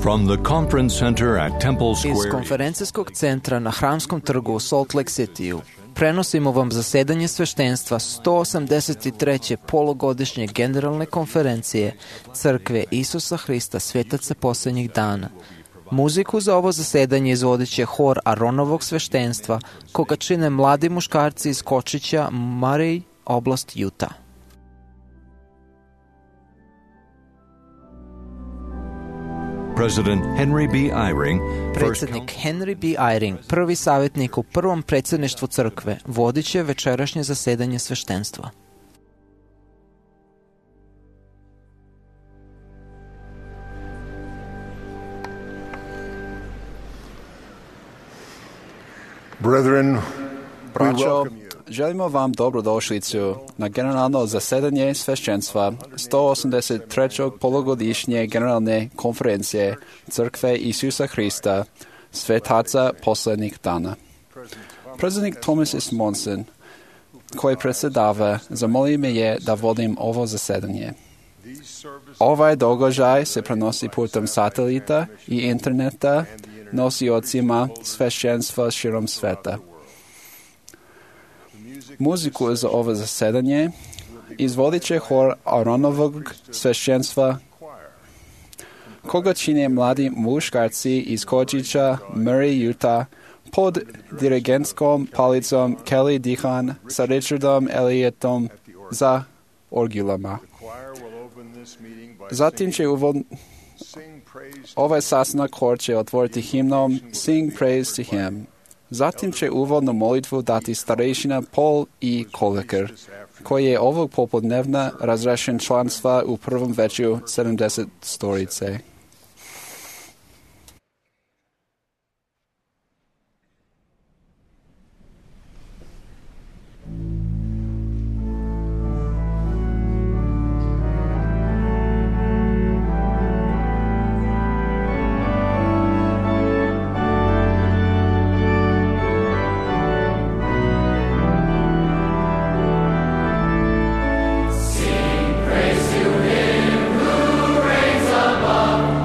From the conference center at Temple Iz Square, konferencijskog centra na Hramskom trgu u Salt Lake Cityu prenosimo vam zasedanje sveštenstva 183. polugodišnje generalne konferencije Crkve Isusa Hrista Svetaca posljednjih dana. Muziku za ovo zasedanje izvodit će hor Aronovog sveštenstva, koga čine mladi muškarci iz Kočića, Murray, oblast Utah. President Henry B. Eyring, Predsjednik Henry B. Eyring, prvi savjetnik u prvom predsjedništvu crkve, vodit će večerašnje zasedanje sveštenstva. Brethren, we Braćo, welcome you. želimo vam dobrodošlicu na generalno zasedanje svešćenstva 183. polugodišnje generalne konferencije Crkve Isusa Hrista Svetaca posljednjih dana. Predsjednik Thomas S. Monson, koji predsjedava, zamolio me je da vodim ovo zasedanje. Ovaj događaj se prenosi putem satelita i interneta nosiocima svešćenstva širom sveta. Muziku za ovo zasedanje izvodit će hor Aronovog svešćenstva, koga čine mladi muškarci iz Kočića, Murray, Utah, pod dirigentskom palicom Kelly Dihan sa Richardom Elliotom za orgulama. Zatim će ovaj sastanak hor će otvoriti himnom Sing Praise to Him. Zatim će uvodnu molitvu dati starejšina Paul E. Koleker, koji je ovog popodnevna razrešen članstva u prvom veću 70 storice. Praise to Him who reigns above.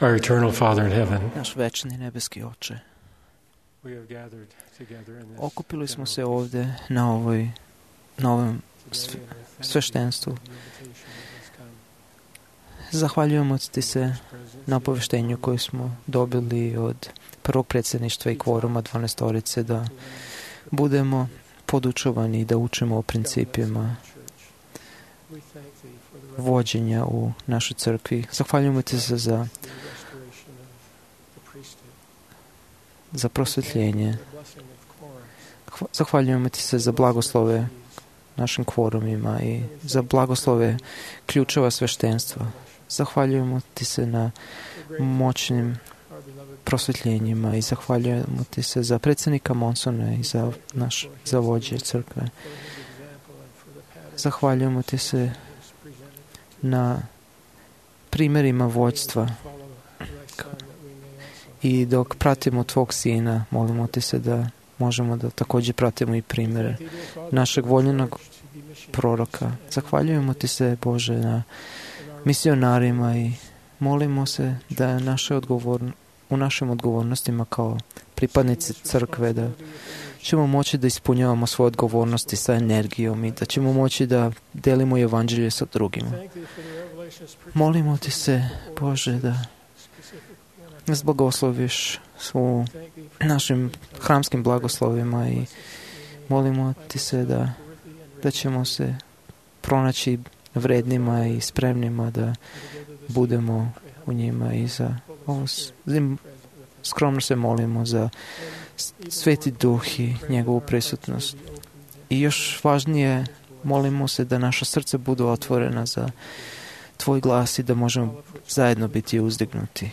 Our eternal Father in heaven, Naš večni nebeski Oče, we have gathered together in this okupili smo se general ovde na ovom sveštenstvu. Zahvaljujemo ti se na obaveštenju koje smo dobili od prvog predsjedništva i kvoruma 12-orice da budemo podučovani i da učimo o principima vođenja u našoj crkvi. Zahvaljujemo ti se za prosvetljenje. Zahvaljujemo ti se za blagoslove našim kvorumima i za blagoslove ključeva sveštenstva. Zahvaljujemo ti se na moćnim prosvetljenjima i zahvaljujemo ti se za predsjednika Monsona i za vođe crkve. Zahvaljujemo ti se na primjerima vođstva i dok pratimo tvog sina, molimo ti se da možemo da također pratimo i primjere našeg voljenog proroka. Zahvaljujemo ti se, Bože, na misionarima i molimo se da u našim odgovornostima kao pripadnici crkve da ćemo moći da ispunjavamo svoje odgovornosti sa energijom i da ćemo moći da delimo evanđelje sa drugima. Molimo ti se, Bože, da nas blagosloviš u našim hramskim blagoslovima i molimo ti se da ćemo se pronaći vrednima i spremnima da budemo u njima i za ovo skromno se molimo za Sveti Duh i njegovu prisutnost. I još važnije, molimo se da naša srca budu otvorena za tvoj glas i da možemo zajedno biti uzdignuti.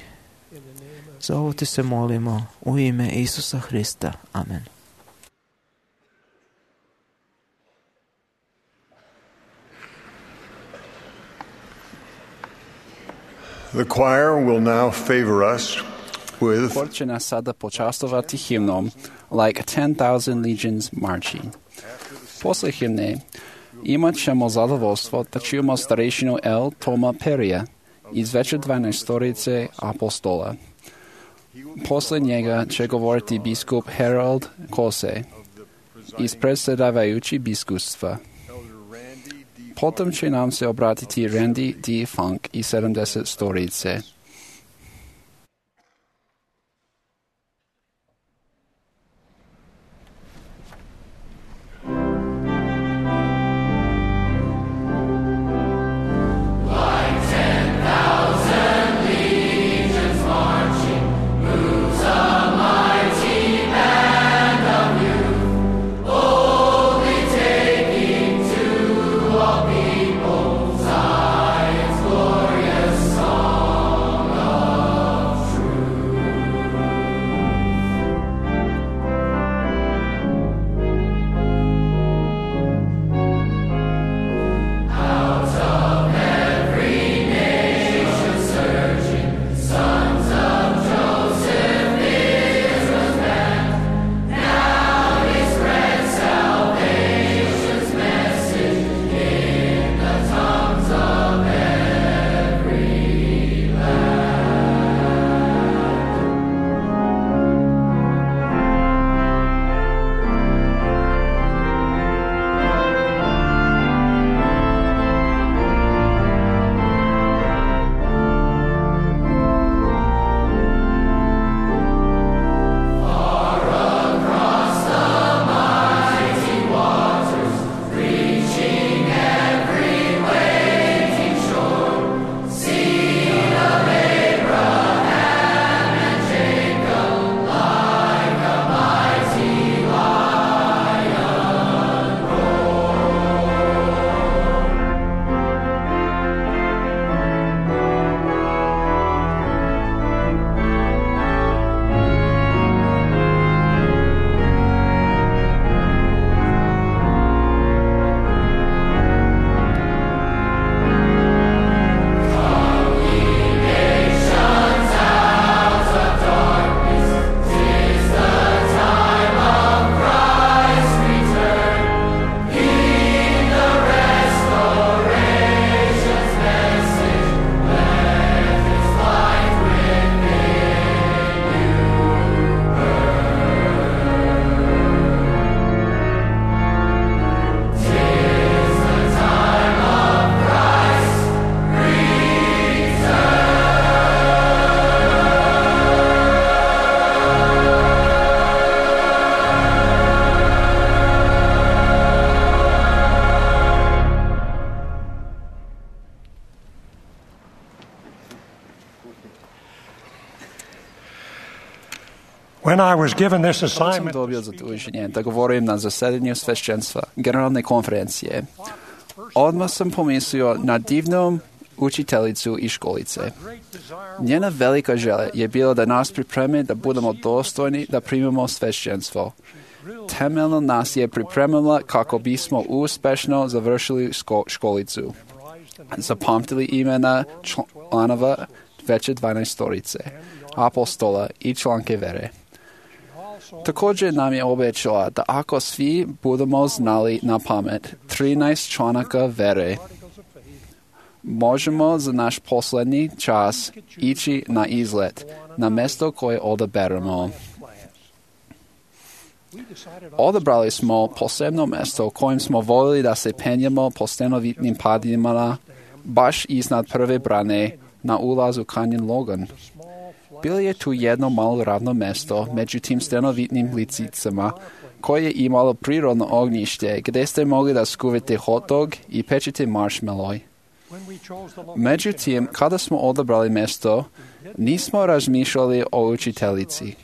Za ovo ti se molimo u ime Isusa Hrista. Amen. The choir will now favor us with Hor će nas sada počastovati himnom Like 10,000 Legions Marching. Posle himne imat ćemo zadovoljstvo da čujemo starešinu L. Toma Perija iz veće 12-orice apostola. Posle njega će govoriti biskup Harold Kose iz predsjedavajući biskupstva. Potom će nam se obratiti Randy D. Funk iz 70-orice. People's eyes, glorious song. When I was given this Kad sam assignment, dobio zaduženje da govorim na zasedanju svešćenstva Generalne konferencije, odmah sam pomislio na divnu učiteljicu i školice. Njena velika želja je bila da nas pripremi da budemo dostojni da primimo svešćenstvo. Temeljno nas je pripremila kako bismo uspešno završili školicu. Zapamtili imena članova veće 12-torice, apostola i članke vere. Također nam je obećala da ako svi budemo znali na pamet 13 članaka vere, možemo za naš posljednji čas ići na izlet, na mjesto koje odaberemo. Odabrali smo posebno mjesto kojim smo voljeli da se penjemo po stenovitnim padinama, baš iznad prve brane na ulazu Canyon Logan. Bilo je tu jedno malo ravno mjesto među tim stenovitnim licicama, koje je imalo prirodno ognjište gdje ste mogli da skuvite hot dog i pečete marshmallow. Međutim, kada smo odabrali mjesto, nismo razmišljali o učiteljici,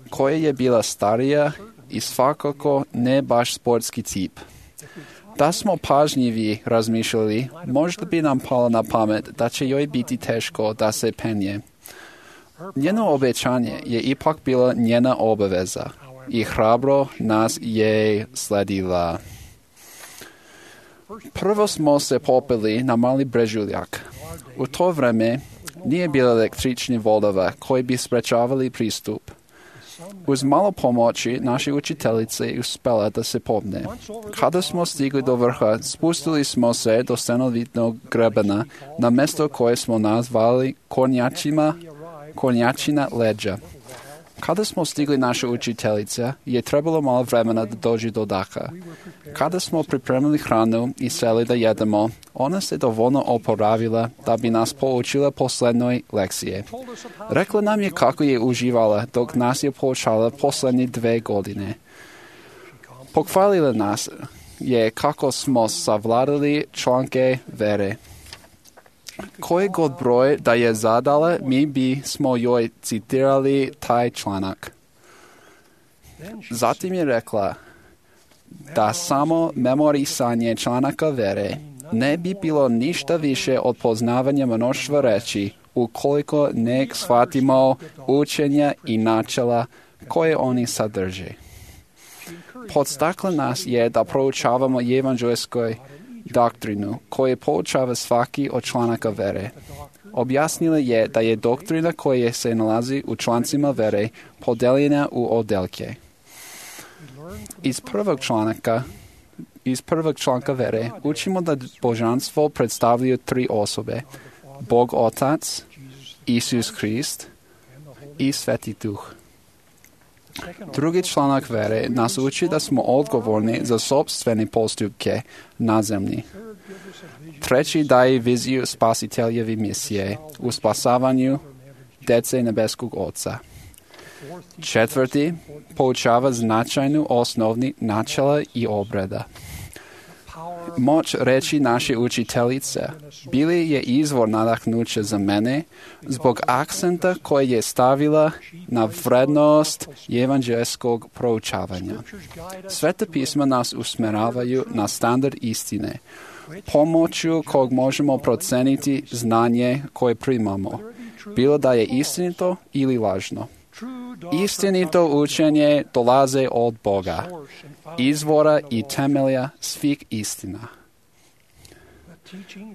koja je bila starija i svakako ne baš sportski tip. Da smo pažljivi razmišljali, možda bi nam palo na pamet da će joj biti teško da se penje. Njeno obećanje je ipak bila njena obaveza i hrabro nas je sledila. Prvo smo se popeli na mali brežuljak. U to vreme nije bilo električnih vodova koji bi sprečavali pristup. Uz malo pomoći naše učiteljice uspjela da se popne. Kada smo stigli do vrha, spustili smo se do stenovitnog grebena na mjesto koje smo nazvali Kornjačina leđa. Kada smo stigli naša učiteljica, je trebalo malo vremena da dođe do daha. Kada smo pripremili hranu i seli da jedemo, ona se dovoljno oporavila da bi nas poučila posljednoj lekcije. Rekla nam je kako je uživala dok nas je poučala posljednje 2 godine. Pohvalila nas je kako smo savladali članke vere. Koji god broj da je zadala, mi bismo joj citirali taj članak. Zatim je rekla da samo memorisanje članaka vere ne bi bilo ništa više od poznavanja mnoštva reči ukoliko ne shvatimo učenja i načela koje oni sadrže. Podstakla nas je da proučavamo evanđelsku doktrinu koje poučava svaki od članaka vere. Objasnila je da je doktrina koja se nalazi u člancima vere podeljena u odeljke. Iz prvog članka vere učimo da božanstvo predstavljaju 3 osobe: Bog Otac, Isus Krist i Sveti Duh. Drugi članak vere nas uči da smo odgovorni za sopstvene postupke na zemlji. Treći daje viziju spasiteljeve misije u spasavanju djece nebeskog Oca. Četvrti poučava značajnu osnovni načela i obreda. Moć reći naše učiteljice bili je izvor nadahnuća za mene zbog akcenta koji je stavila na vrednost evanđelskog proučavanja. Sveta pisma nas usmjeravaju na standard istine, pomoću kog možemo proceniti znanje koje primamo, bilo da je istinito ili lažno. Istinito učenje dolaze od Boga, izvora i temelja svih istina.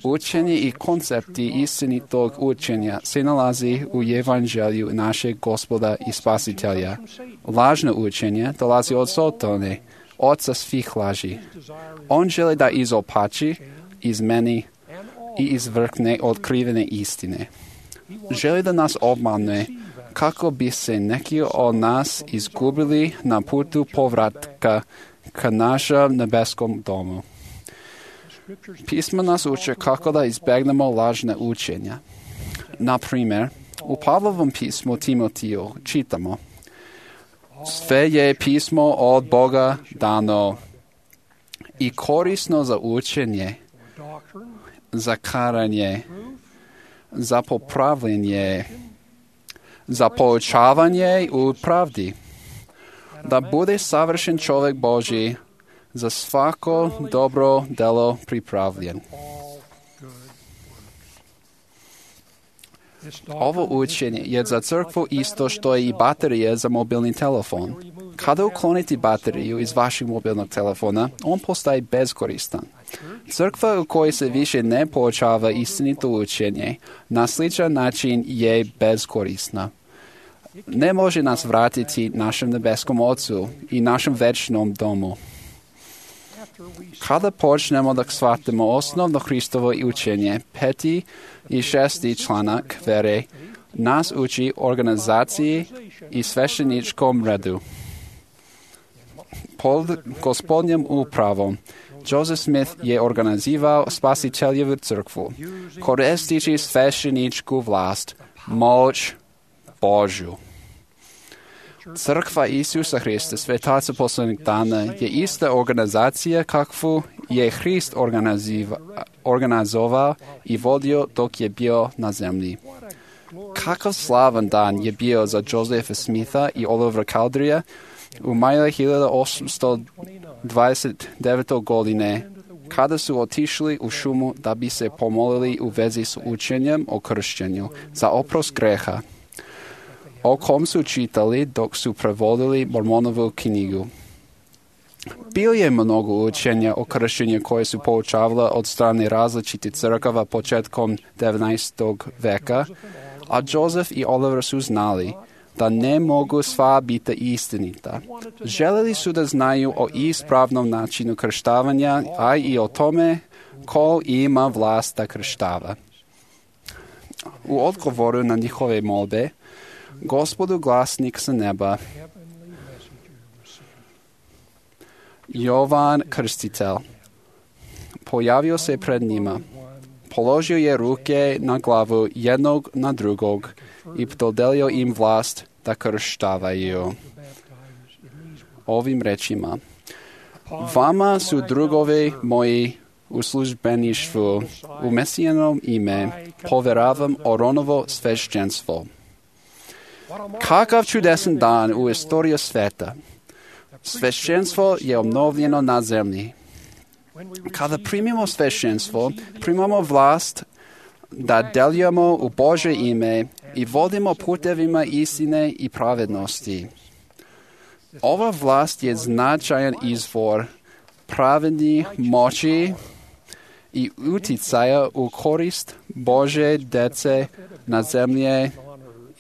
Učenje i koncepti istinitog učenja se nalazi u evanđelju našeg Gospoda i Spasitelja. Lažno učenje dolazi od Sotone, oca svih laži. On želi da izopači, izmeni i izvrkne otkrivene istine. Želi da nas obmanuje kako bi se neki od nas izgubili na putu povratka ka našem nebeskom domu. Pisma nas uče kako da izbjegnemo lažne učenja. Na primjer, u Pavlovom pismu Timotiju čitamo: Sve je pismo od Boga dano i korisno za učenje, za karanje, za popravljanje, za poučavanje u pravdi, da bude savršen čovjek Božji, za svako dobro delo pripravljen. Ovo učenje je za crkvu isto što je i baterija za mobilni telefon. Kada uklonite bateriju iz vašeg mobilnog telefona, on postaje beskoristan. Crkva u kojoj se više ne poučava istinito učenje, na sličan način je beskorisna. Ne može nas vratiti našem nebeskom Ocu i našem večnom domu. Kada počnemo da shvatimo osnovno Hristovo učenje, 5. i 6. članak vere nas uči organizaciji i svešteničkom redu. Pod gospodnjom upravom Joseph Smith je organizirao Spasiteljevu crkvu, koristeći svešteničku vlast, moć Božju. Crkva Isusa Hrista, svetaca poslednjeg dana, je ista organizacija kakvu je Hrist organizovao i vodio dok je bio na zemlji. Kakav slavan dan je bio za Josepha Smitha i Olivera Cowderyja u maju 1829. godine, kada su otišli u šumu da bi se pomolili u vezi s učenjem o kršćenju za oprost greha, o kom su čitali dok su prevodili Mormonovu knjigu. Bilo je mnogo učenja o kršćenju koje su poučavala od strane različitih crkava početkom 19. veka, a Joseph i Oliver su znali da ne mogu sva biti istinita. Želeli su da znaju o ispravnom načinu krštavanja, a i o tome ko ima vlast da krštava. U odgovoru na njihove molbe, Gospodu glasnik sa neba, Jovan Krstitelj, pojavio se pred njima, položio je ruke na glavu jednog na drugog i dodelio im vlast da krštavaju. Ovim rečima: vama su drugovi moji u službeništvu, u Mesijanom ime povjeravam Oronovo svešćenstvo. Kakav čudesan dan u istoriji sveta. Svešćenstvo je obnovljeno na zemlji. Kada primimo svešćenstvo, primamo vlast da delujemo u Božje ime i vodimo putevima istine i pravednosti. Ova vlast je značajan izvor pravedne moći i uticaja u korist Božje dece na zemlje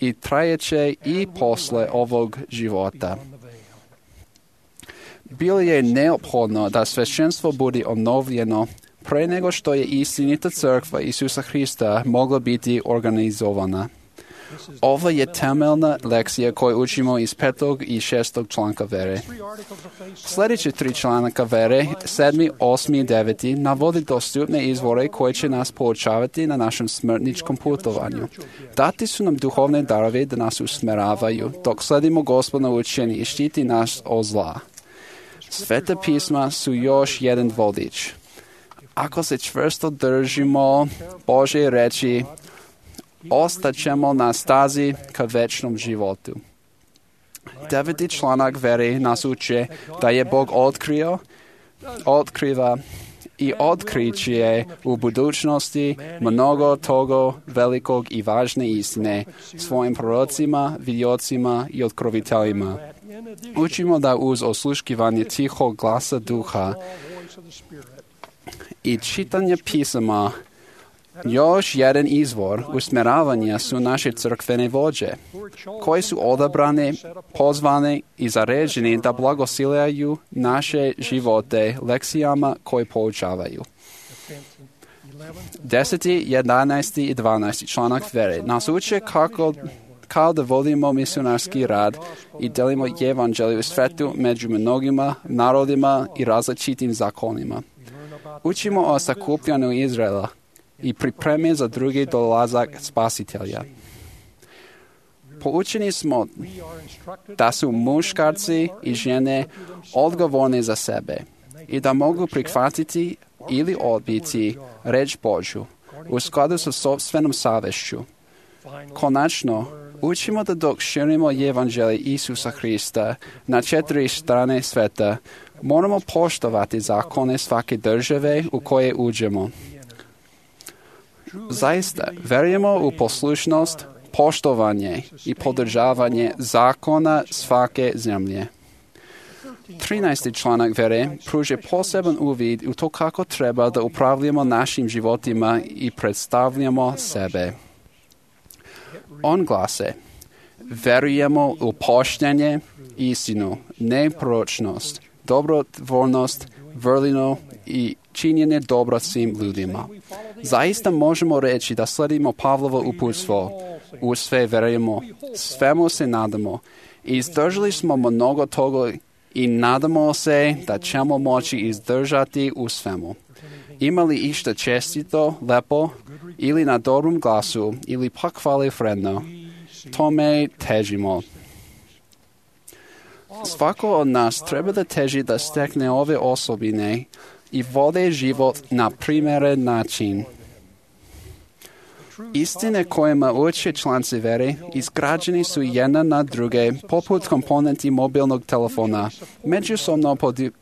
i trajeće i posle ovog života. Bilo je neophodno da svešćenstvo bude obnovljeno pre nego što je istinita crkva Isusa Hrista mogla biti organizovana. Ovo je temeljna lekcija koju učimo iz 5. i 6. članka vere. Sljedeće 3 članaka vere, 7., 8. i 9. navodi dostupne izvore koje će nas poučavati na našem smrtničkom putovanju. Dati su nam duhovne darove da nas usmeravaju, dok sledimo Gospodno učenje i štiti nas od zla. Sveta pisma su još jedan vodič. Ako se čvrsto držimo Božje reči, ostaćemo na stazi ka večnom životu. 9. članak vere nas uče da je Bog otkriva i otkriće u budućnosti mnogo toga velikog i važne istine svojim prorocima, vidjocima i otkroviteljima. Učimo da uz osluškivanje tihog glasa duha i čitanje pisama još jedan izvor usmjeravanja su naše crkvene vođe, koji su odabrane, pozvane i zaređeni da blagosiljaju naše živote lekcijama koje poučavaju. 10., 11. i 12. članak vere nas uče kao da vodimo misionarski rad i delimo evanđelje u svetu među mnogima narodima i različitim zakonima. Učimo o sakupljanju Izraela i pripremi za drugi dolazak Spasitelja. Poučeni smo da su muškarci i žene odgovorni za sebe i da mogu prihvatiti ili odbiti reč Božju, u skladu sa sopstvenom savješću. Konačno, učimo da dok širimo evanđelje Isusa Hrista na 4 strane sveta, moramo poštovati zakone svake države u koje uđemo. Zaista, verujemo u poslušnost, poštovanje i podržavanje zakona svake zemlje. 13. članak vere pruža poseban uvid u to kako treba da upravljamo našim životima i predstavljamo sebe. On glase: verujemo u poštenje, istinu, neproročnost, dobrotvornost, vrlinu i činjenje dobra svim ljudima. Zaista možemo reći da sledimo Pavlovo uputstvo. U sve verujemo, svemu se nadamo. Izdržali smo mnogo toga i nadamo se da ćemo moći izdržati u svemu. Ima li išta čestito, lepo, ili na dobrom glasu, ili pak hvale vredno, tome težimo. Svako od nas treba da teži da stekne ove osobine i vode život na primjeren način. Istine kojima uče članci vere izgrađeni su jedna na druge, poput komponenti mobilnog telefona, međusobno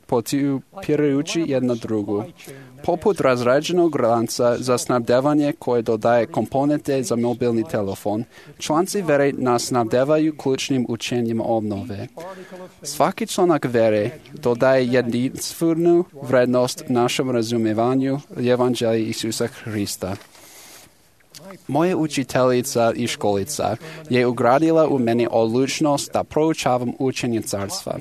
podupirajući jedna drugu. Poput razrađenog lanca za snabdevanje koje dodaje komponente za mobilni telefon, članci vere nas snabdevaju ključnim učenjima obnove. Svaki članak vere dodaje jedinstvenu vrednost našem razumijevanju evanđelja Isusa Hrista. Moja učiteljica i školica je ugradila u meni odlučnost da proučavam učenje carstva.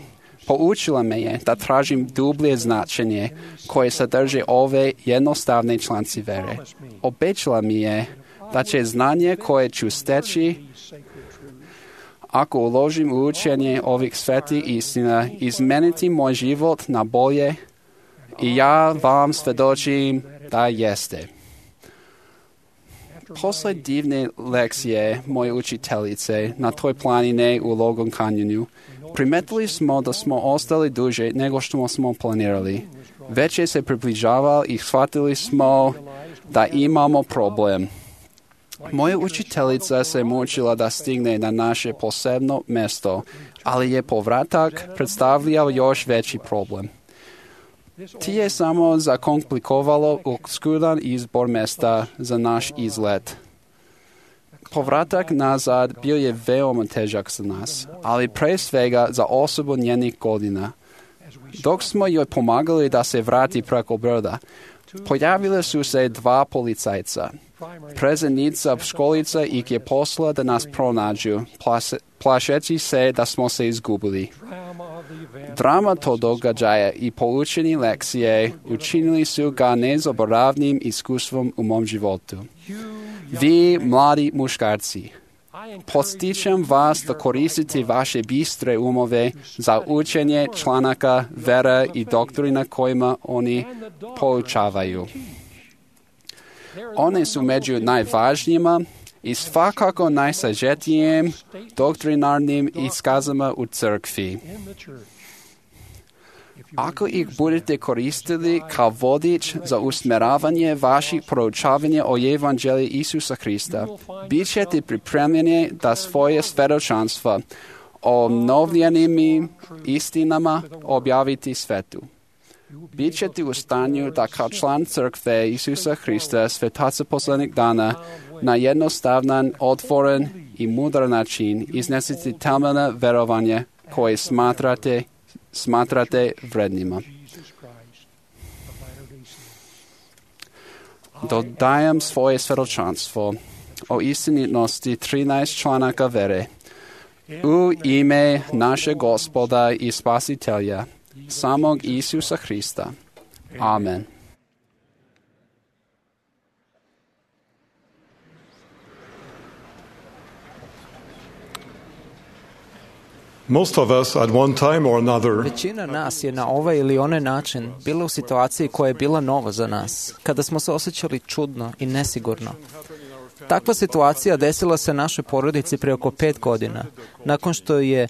Poučila me je da tražim dublje značenje koje sadrže ove jednostavne članci vere. Obećala mi je da će znanje koje ću steći ako uložim u učenje ovih svetih istina izmeniti moj život na bolje i ja vam svedočim da jeste. Posle divne lekcije moje učiteljice na toj planine u Logan Canyonu, primetili smo da smo ostali duže nego što smo planirali. Već je se približavao i shvatili smo da imamo problem. Moja učiteljica se mučila da stigne na naše posebno mjesto, ali je povratak predstavljao još veći problem. Ti je samo zakomplikovalo oskudan izbor mjesta za naš izlet. Povratak nazad bio je veoma težak za nas, ali pre svega za osobu njenih godina. Dok smo joj pomagali da se vrati preko broda, pojavile su se 2 policajca. Predsjednica školica ih je poslala da nas pronađu, plašeći se da smo se izgubili. Drama tog događaja i poučeni lekcije učinili su ga nezaboravnim iskustvom u mom životu. Vi, mladi muškarci, podstičem vas da koristite vaše bistre umove za učenje članaka vere i doktrina kojima oni poučavaju. One su među najvažnijima i svakako najsažetijim doktrinarnim iskazama u crkvi. Ako ih budete koristili kao vodič za usmjeravanje vaših proučavanja o evanđelju Isusa Hrista, bit ćete pripremljeni da svoje svjedočanstva o obnovljenim istinama objaviti svetu. Bit ćete u stanju da kao član crkve Isusa Hrista, svetaca posljednjih dana, na jednostavan, otvoren i mudar način iznesete temeljna verovanja koje smatrate vrednima. Dodajem svoje svjedočanstvo o istinitnosti 13 članaka vere u ime našeg Gospoda i Spasitelja, samog Isusa Hrista. Amen. Most of us at one time or another Većina nas je na ovaj ili onaj način bila u situaciji koja je bila nova za nas, kada smo se osjećali čudno i nesigurno. Takva situacija desila se našoj porodici prije oko 5 godina, nakon što je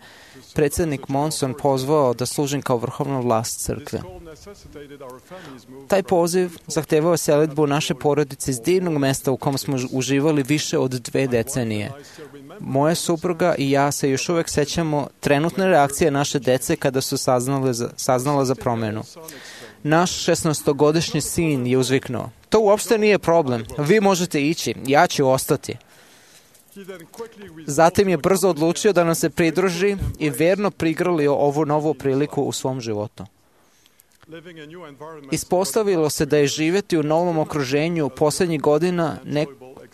predsjednik Monson pozvao da služim kao vrhovna vlast crkve. Taj poziv zahtevao selidbu naše porodice iz divnog mesta u kom smo uživali više od 2 decenije. Moja supruga i ja se još uvek sećamo trenutne reakcije naše dece kada su saznala za promenu. Naš 16-godišnji sin je uzviknuo: "To uopšte nije problem, vi možete ići, ja ću ostati." Zatim je brzo odlučio da nam se pridruži i verno prigrlio ovu novu priliku u svom životu. Ispostavilo se da je živjeti u novom okruženju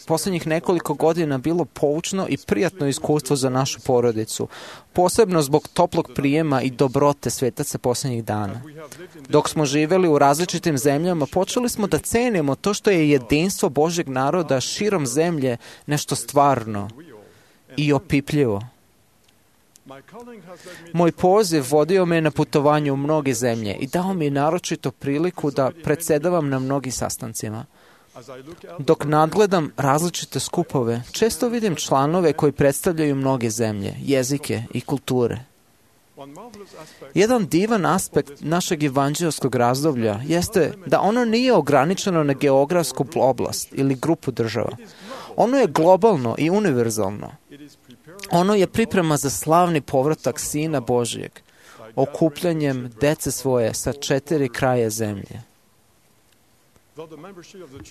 posljednjih nekoliko godina bilo poučno i prijatno iskustvo za našu porodicu, posebno zbog toplog prijema i dobrote svetaca posljednjih dana. Dok smo živjeli u različitim zemljama, počeli smo da cenimo to što je jedinstvo Božjeg naroda širom zemlje nešto stvarno i opipljivo. Moj poziv vodio me na putovanje u mnoge zemlje i dao mi naročito priliku da predsedavam na mnogim sastancima. Dok nadgledam različite skupove, često vidim članove koji predstavljaju mnoge zemlje, jezike i kulture. Jedan divan aspekt našeg evanđelskog razdoblja jeste da ono nije ograničeno na geografsku oblast ili grupu država. Ono je globalno i univerzalno. Ono je priprema za slavni povratak Sina Božijeg, okupljanjem dece svoje sa 4 kraja zemlje.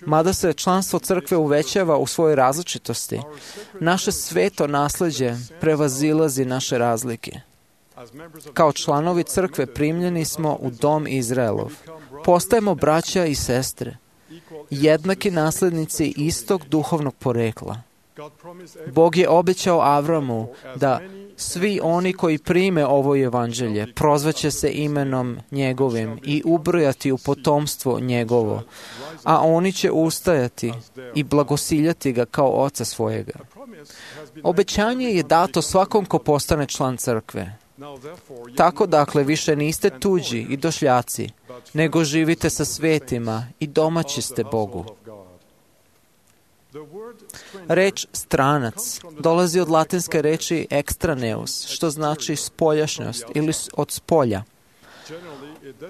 Mada se članstvo crkve uvećava u svojoj različitosti, naše sveto nasleđe prevazilazi naše razlike. Kao članovi crkve primljeni smo u dom Izraelov. Postajemo braća i sestre, jednaki naslednici istog duhovnog porekla. Bog je obećao Avramu da svi oni koji prime ovo evanđelje prozvaće se imenom njegovim i ubrojati u potomstvo njegovo, a oni će ustajati i blagosiljati ga kao oca svojega. Obećanje je dato svakom ko postane član crkve. Tako dakle više niste tuđi i došljaci, nego živite sa svetima i domaći ste Bogu. Reč stranac dolazi od latinske reči extraneus, što znači spoljašnjost ili od spolja.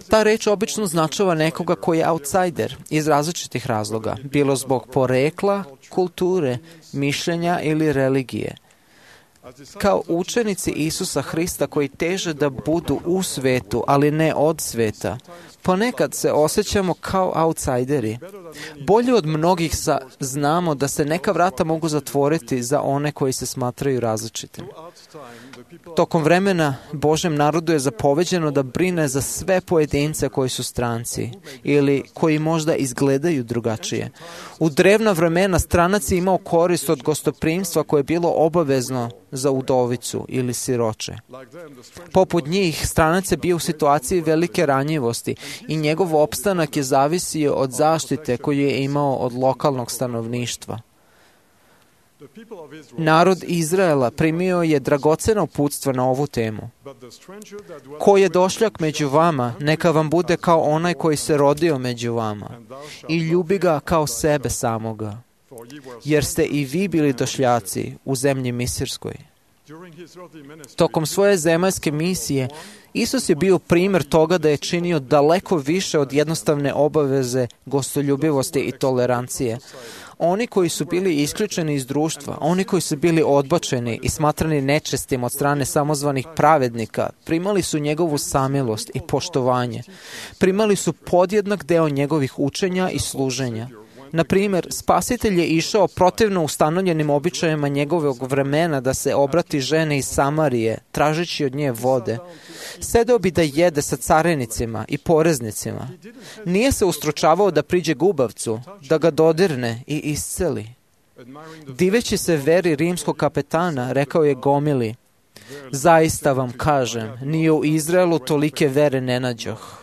Ta reč obično značava nekoga koji je outsider iz različitih razloga, bilo zbog porekla, kulture, mišljenja ili religije. Kao učenici Isusa Hrista koji teže da budu u svetu, ali ne od sveta, ponekad se osjećamo kao outsideri. Bolje od mnogih znamo da se neka vrata mogu zatvoriti za one koji se smatraju različitim. Tokom vremena Božjem narodu je zapoveđeno da brine za sve pojedince koji su stranci ili koji možda izgledaju drugačije. U drevna vremena stranac je imao korist od gostoprimstva koje je bilo obavezno za udovicu ili siroče. Poput njih, stranac je bio u situaciji velike ranjivosti i njegov opstanak je zavisio od zaštite koju je imao od lokalnog stanovništva. Narod Izraela primio je dragocena uputstva na ovu temu. Ko je došljak među vama, neka vam bude kao onaj koji se rodio među vama i ljubi ga kao sebe samoga, jer ste i vi bili došljaci u zemlji Misirskoj. Tokom svoje zemaljske misije, Isus je bio primjer toga da je činio daleko više od jednostavne obaveze gostoljubivosti i tolerancije. Oni koji su bili isključeni iz društva, oni koji su bili odbačeni i smatrani nečestim od strane samozvanih pravednika, primali su njegovu samilost i poštovanje. Primali su podjednak deo njegovih učenja i služenja. Na primjer, Spasitelj je išao protivno ustanovljenim običajima njegovog vremena da se obrati žene iz Samarije, tražeći od nje vode. Sedeo bi da jede sa carenicima i poreznicima. Nije se ustručavao da priđe gubavcu, da ga dodirne i isceli. Diveći se veri rimskog kapetana, rekao je gomili: "Zaista vam kažem, ni u Izraelu tolike vere ne nađoh."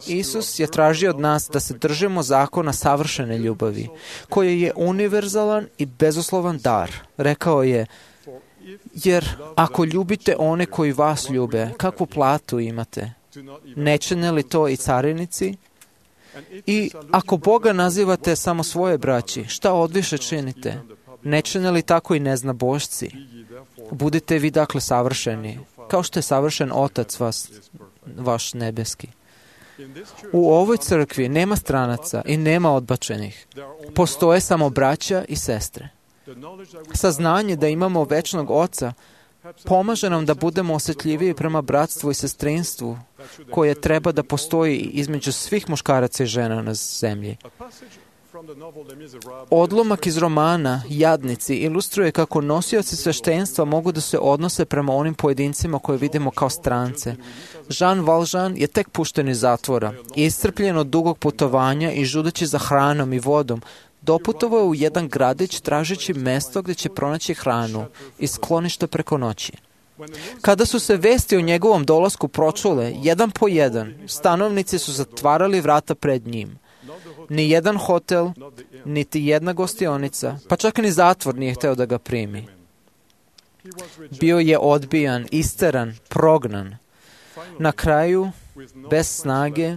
Isus je tražio od nas da se držimo zakona savršene ljubavi, koji je univerzalan i bezuslovan dar. Rekao je: "Jer ako ljubite one koji vas ljube, kakvu platu imate? Ne čine li to i carinici? I ako Boga nazivate samo svoje braći, šta odviše činite? Ne čine li tako i neznabošci? Budite vi dakle savršeni, kao što je savršen Otac vaš nebeski. U ovoj crkvi nema stranaca i nema odbačenih. Postoje samo braća i sestre. Saznanje da imamo večnog Oca pomaže nam da budemo osjetljiviji prema bratstvu i sestrinstvu koje treba da postoji između svih muškaraca i žena na zemlji. Odlomak iz romana Jadnici ilustruje kako nosioci sveštenstva mogu da se odnose prema onim pojedincima koje vidimo kao strance. Jean Valjean je tek pušten iz zatvora. Iscrpljen od dugog putovanja i žudeći za hranom i vodom, doputovao je u jedan gradić tražeći mesto gdje će pronaći hranu i sklonište preko noći. Kada su se vesti o njegovom dolasku pročule, jedan po jedan, stanovnici su zatvarali vrata pred njim. Ni jedan hotel, niti jedna gostionica, pa čak ni zatvor nije hteo da ga primi. Bio je odbijan, isteran, prognan. Na kraju, bez snage,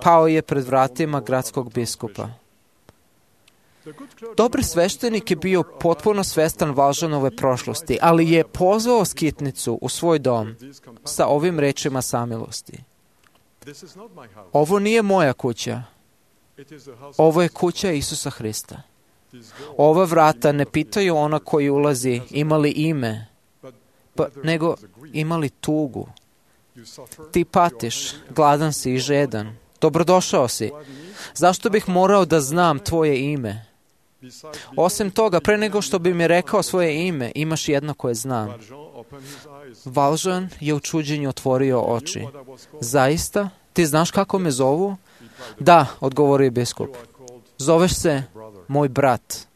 pao je pred vratima gradskog biskupa. Dobri sveštenik je bio potpuno svestan Valjeanove prošlosti, ali je pozvao skitnicu u svoj dom sa ovim rečima samilosti. Ovo nije moja kuća. Ovo je kuća Isusa Hrista. Ova vrata ne pitaju ona koji ulazi imali ime, nego imali tugu. Ti patiš, gladan si i žedan. Dobrodošao si. Zašto bih morao da znam tvoje ime? Osim toga, pre nego što bi mi rekao svoje ime, imaš jedno koje znam. Valjean je u čuđenju otvorio oči. Zaista? Ti znaš kako me zovu? Da, odgovorio je biskup. Zoveš se moj brat.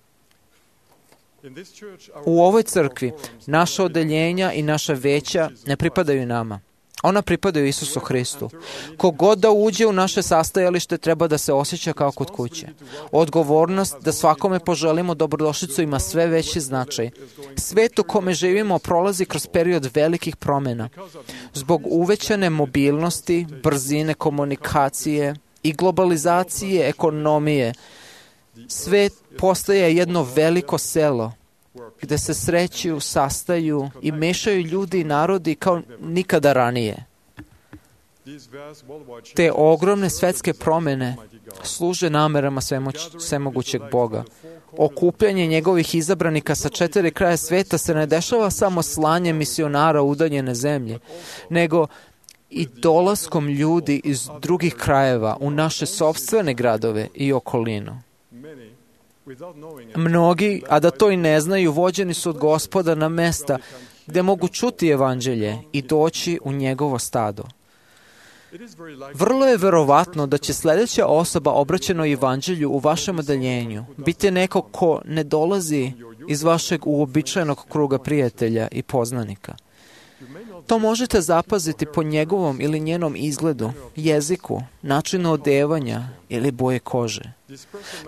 U ovoj crkvi naša odeljenja i naša veća ne pripadaju nama. Ona pripadaju Isusu Hristu. Kogod da uđe u naše sastajalište treba da se osjeća kao kod kuće. Odgovornost da svakome poželimo dobrodošlicu ima sve veći značaj. Svet u kome živimo prolazi kroz period velikih promjena. Zbog uvećane mobilnosti, brzine komunikacije i globalizacije ekonomije, svet postaje jedno veliko selo gde se sreću, sastaju i mešaju ljudi i narodi kao nikada ranije. Te ogromne svetske promjene služe namerama svemogućeg Boga. Okupljanje njegovih izabranika sa 4 kraja sveta se ne dešava samo slanjem misionara u udaljene zemlje, nego i dolaskom ljudi iz drugih krajeva u naše sopstvene gradove i okolinu. Mnogi, a da to i ne znaju, vođeni su od Gospoda na mesta gdje mogu čuti evanđelje i doći u njegovo stado. Vrlo je verovatno da će sljedeća osoba obraćena evanđelju u vašem odeljenju biti neko ko ne dolazi iz vašeg uobičajenog kruga prijatelja i poznanika. To možete zapaziti po njegovom ili njenom izgledu, jeziku, načinu odevanja ili boje kože.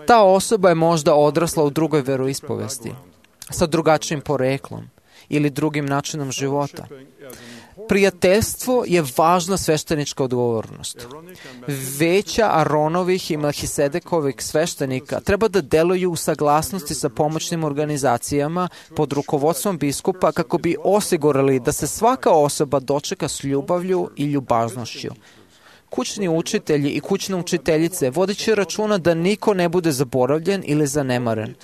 Ta osoba je možda odrasla u drugoj veroispovesti, sa drugačijim poreklom ili drugim načinom života. Prijateljstvo je važna sveštenička odgovornost. Veća Aronovih i Melhisedekovih sveštenika treba da deluju u saglasnosti sa pomoćnim organizacijama pod rukovodstvom biskupa kako bi osigurali da se svaka osoba dočeka s ljubavlju i ljubaznošću. Kućni učitelji i kućne učiteljice vodeći računa da niko ne bude zaboravljen ili zanemaren.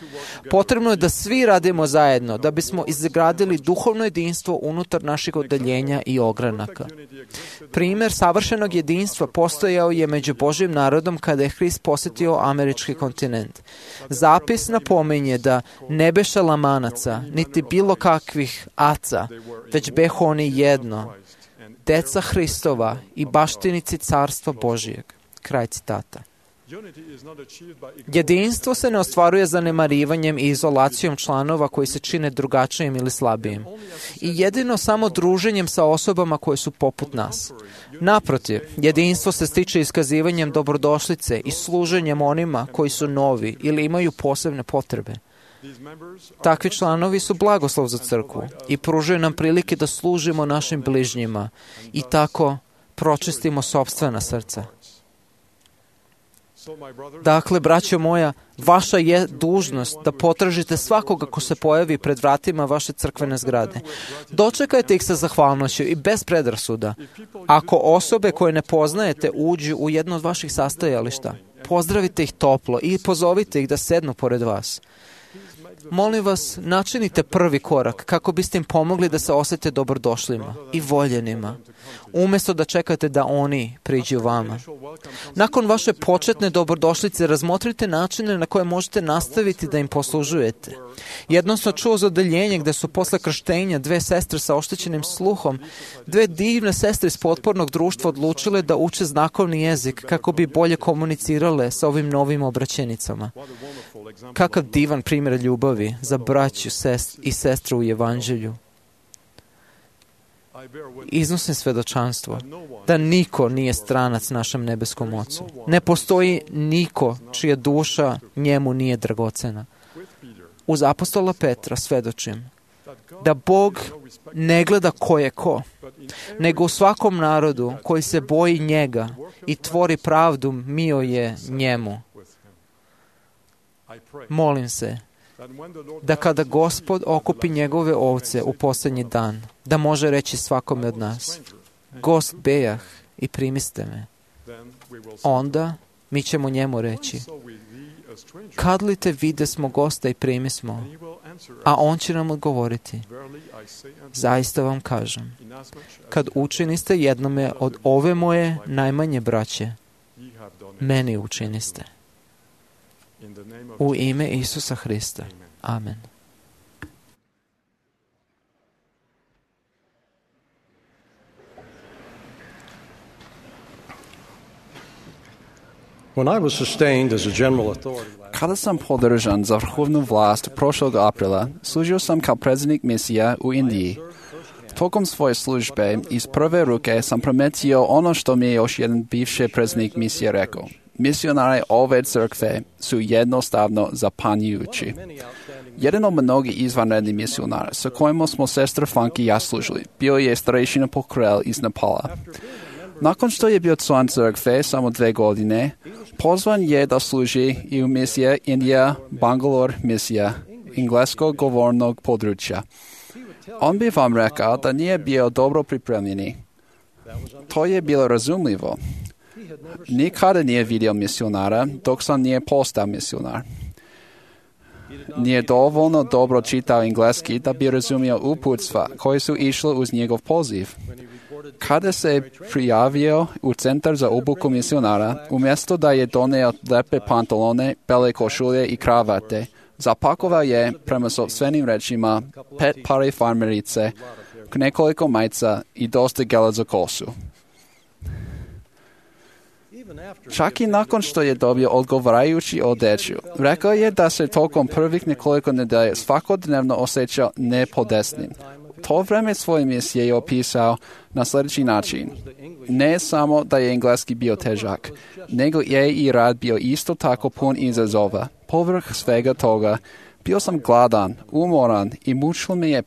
Potrebno je da svi radimo zajedno da bismo izgradili duhovno jedinstvo unutar naših odeljenja i ogranaka. Primjer savršenog jedinstva postojao je među Božjim narodom kada je Hrist posjetio američki kontinent. Zapis napominje da ne beše lamanaca, niti bilo kakvih aca, već behu oni jedno, deca Hristova i baštinici carstva Božijeg. Kraj citata. Jedinstvo se ne ostvaruje zanemarivanjem i izolacijom članova koji se čine drugačijim ili slabijim. I jedino samo druženjem sa osobama koje su poput nas. Naprotiv, jedinstvo se stiče iskazivanjem dobrodošlice i služenjem onima koji su novi ili imaju posebne potrebe. Takvi članovi su blagoslov za crkvu i pružaju nam prilike da služimo našim bližnjima i tako pročistimo sopstvena srca. Dakle, braćo moja, vaša je dužnost da potražite svakoga ko se pojavi pred vratima vaše crkvene zgrade. Dočekajte ih sa zahvalnošću i bez predrasuda. Ako osobe koje ne poznajete uđu u jedno od vaših sastajališta, pozdravite ih toplo i pozovite ih da sednu pored vas. Molim vas, načinite prvi korak kako biste im pomogli da se osjete dobrodošlima i voljenima, umjesto da čekate da oni priđu vama. Nakon vaše početne dobrodošlice razmotrite načine na koje možete nastaviti da im poslužujete. Jednom sam čuo za odeljenje gde su posle krštenja 2 sestre sa oštećenim sluhom, 2 divne sestre iz potpornog društva odlučile da uče znakovni jezik kako bi bolje komunicirale sa ovim novim obraćenicama. Kakav divan primjer ljubavi za braću i sestre u evanđelju. Iznosim svedočanstvo da niko nije stranac našem nebeskom Ocu. Ne postoji niko čija duša njemu nije dragocena. Uz apostola Petra svedočim da Bog ne gleda ko je ko, nego u svakom narodu koji se boji njega i tvori pravdu mio je njemu. Molim se da kada Gospod okupi njegove ovce u posljednji dan, da može reći svakome od nas: Gost bejah i primiste me. Onda mi ćemo njemu reći: Kad li te vide smo gosta i primismo? A on će nam odgovoriti: Zaista vam kažem, kad učiniste jednome od ove moje najmanje braće, meni učiniste. U ime Isusa Hrista. Amen. Kada sam podržan za vrhovnu vlast prošlog aprila, služio sam kao predsjednik misija u Indiji. Tokom svoje službe iz prve ruke sam prometio ono što mi je još jedan bivši predsjednik misije rekao. Misionari ove crkve su jednostavno zapanjujući. Jedan od mnogih izvanrednih misionara sa kojima smo sestra Funky i ja služili bio je starešina Pokrel iz Nepala. Nakon što je bio član crkve samo 2 godine, pozvan je da služi i u misije Indija, Bangalore misija, engleskog govornog područja. On bi vam rekao da nije bio dobro pripremljeni. To je bilo razumljivo. Nikada nije vidio misionara dok sam nije postao misionar. Nije dovoljno dobro čitao engleski da bi razumio uputstva koji su išli uz njegov poziv. Kada se prijavio u centar za obuku misionara, umjesto da je doneo lepe pantalone, bele košulje i kravate, zapakovao je, prema sopstvenim rečima, 5 pari farmerice, nekoliko majica i dosta gela za kosu. Čak i nakon što je dobio odgovarajući odeću, rekao je da se tokom prvih nekoliko nedelja svakodnevno osjećao nepodesnim. To vreme svoje misije je opisao na sljedeći način. Ne samo da je engleski bio težak, nego je i rad bio isto tako pun izazova. Povrh svega toga, bio sam gladan, umoran i mučilo me je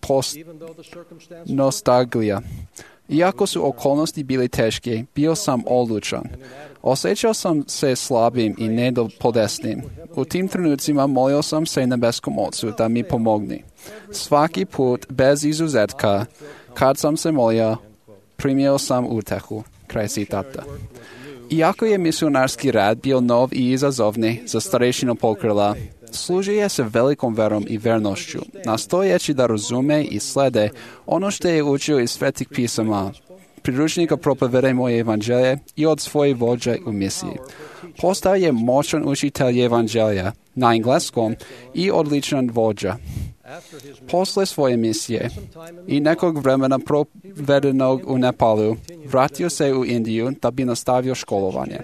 nostalgija. Iako su okolnosti bili teške, bio sam odlučan. Osjećao sam se slabim i nepodesnim. U tim trenucima molio sam se nebeskom Ocu da mi pomogne. Svaki put, bez izuzetka, kad sam se molio, primio sam utehu. Kraj citata. Iako je misionarski rad bio nov i izazovni za starešinu Pokrela, služi je se velikom verom i vernošću, nastojeći da razume i slede ono što je učio iz svetih pisama, priručnika Propovedaj moje evanđelje i od svoje vođe u misiji. Postao je moćan učitelj evanđelja na engleskom i odličan vođa. Posle svoje misije i nekog vremena provedenog u Nepalu, vratio se u Indiju da bi nastavio školovanje.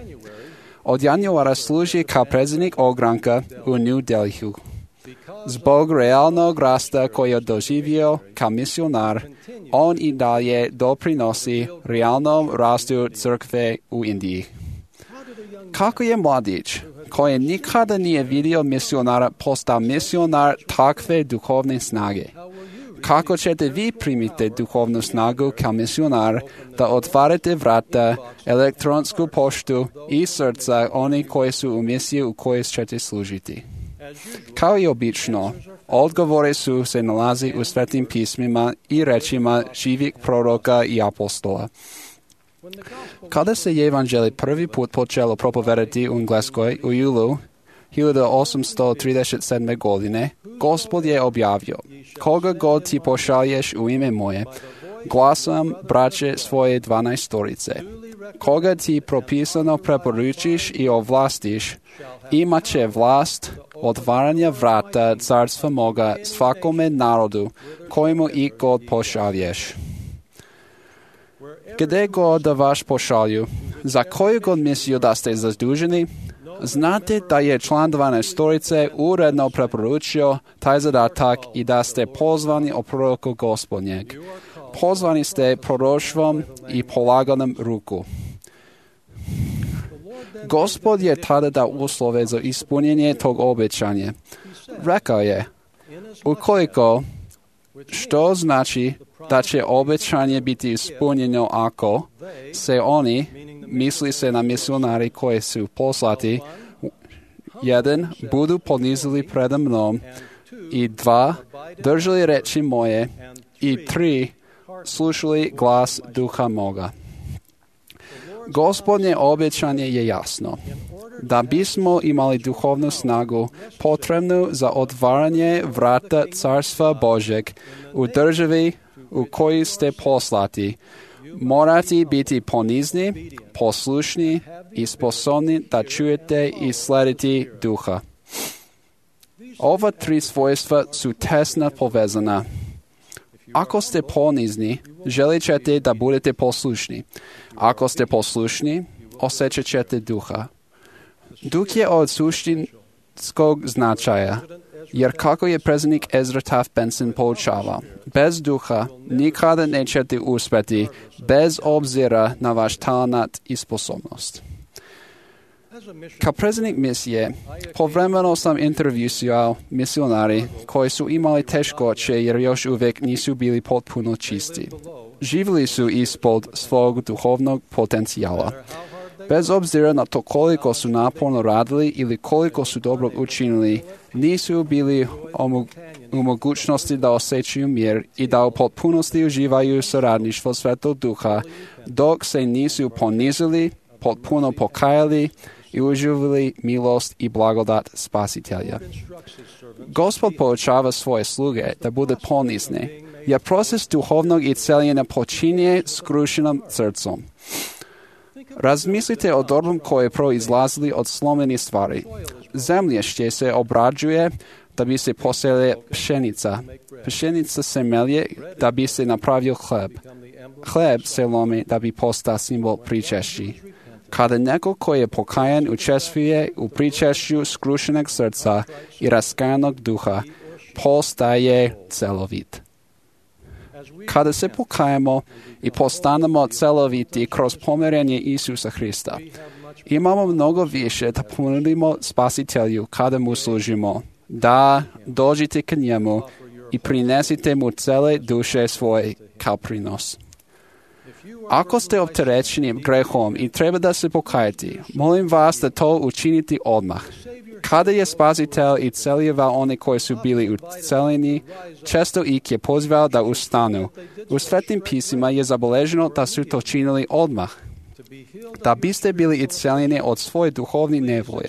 Od januara služi kao predsjednik ogranka u New Delhiu. Zbog realnog rasta koji je doživio kao misionar, on i dalje doprinosi realnom rastu crkve u Indiji. Kako je mladić koji nikada nije vidio misionara postao misionar takve duhovne snage? Kako ćete vi primiti duhovnu snagu kao misionar da otvarate vrata, elektronsku poštu i srca oni koji su u misiji u kojoj ćete služiti? Kao i obično, odgovore su se nalazi u svetim pismima i rečima živih proroka i apostola. Kada se evanđelje prvi put počelo propovedati u Engleskoj u julu 1837. godine, Gospod je objavio: koga god ti pošalješ u ime moje, glasom braće svoje 12. Koga ti propisano preporučiš i ovlastiš, imat će vlast otvaranja vrata carstva moga svakome narodu, kojemu i god pošalješ. Gde god da vas pošalju, za koju god misiju da ste zaduženi, znate da je član 12. uredno preporučio taj zadatak i da ste pozvani o proroku Gospodnjeg. Pozvani ste proroštvom i polaganom ruku. Gospod je tada dao uslove za ispunjenje tog obećanja. Rekao je: ukoliko, što znači da će obećanje biti ispunjeno ako se oni, misli se na misionari koji su poslati, 1. budu ponizili preda mnom, i 2. držali reči moje, i 3. slušali glas duha moga. Gospodnje obećanje je jasno. Da bismo imali duhovnu snagu potrebnu za otvaranje vrata Carstva Božeg u državi u kojoj ste poslati, morate biti ponizni, poslušni i sposobni da čujete i slediti duha. Ova 3 svojstva su tesno povezana. Ako ste ponizni, želit ćete da budete poslušni. Ako ste poslušni, osjećat ćete duha. Duh je od suštinskog značaja, jer kako je predsjednik Ezra Taft Benson poučavao, bez duha nikada nećete uspjeti, bez obzira na vaš talent i sposobnost. Kao predsjednik misije, povremeno sam intervjuisao misionari koji su imali teškoće jer još uvijek nisu bili potpuno čisti. Živjeli su ispod svog duhovnog potencijala. Bez obzira na to koliko su naporno radili ili koliko su dobro učinili, nisu bili u mogućnosti da osjećaju mir i da u potpunosti uživaju suradništvo Svetog Duha, dok se nisu ponizili, potpuno pokajali i uživali milost i blagodat Spasitelja. Gospod poučava svoje sluge da bude ponizni, jer proces duhovnog isceljenja počinje skrušenim srcom. Razmislite o dobrom koje proizlazili od slomenih stvari. Zemljište se obrađuje da bi se posejala pšenica. Pšenica se melje da bi se napravio hleb. Hleb se lomi da bi postao simbol pričešći. Kada neko koji je pokajan učestvuje u pričešću skrušenog srca i raskajanog duha, postaje celovit. Kada se pokajemo i postanemo celoviti kroz pomirenje Isusa Hrista, imamo mnogo više da ponudimo Spasitelju kada mu služimo. Da, dođite k njemu i prinesite mu cele duše svoje kao prinos. Ako ste opterećeni grehom i treba da se pokajete, molim vas da to učinite odmah. Kada je Spasitelj isceljivao one koji su bili uceljeni, često ih je pozvao da ustanu. U Svetim pismima je zabeleženo da su to činili odmah. Da biste bili isceljeni od svoje duhovne nevolje,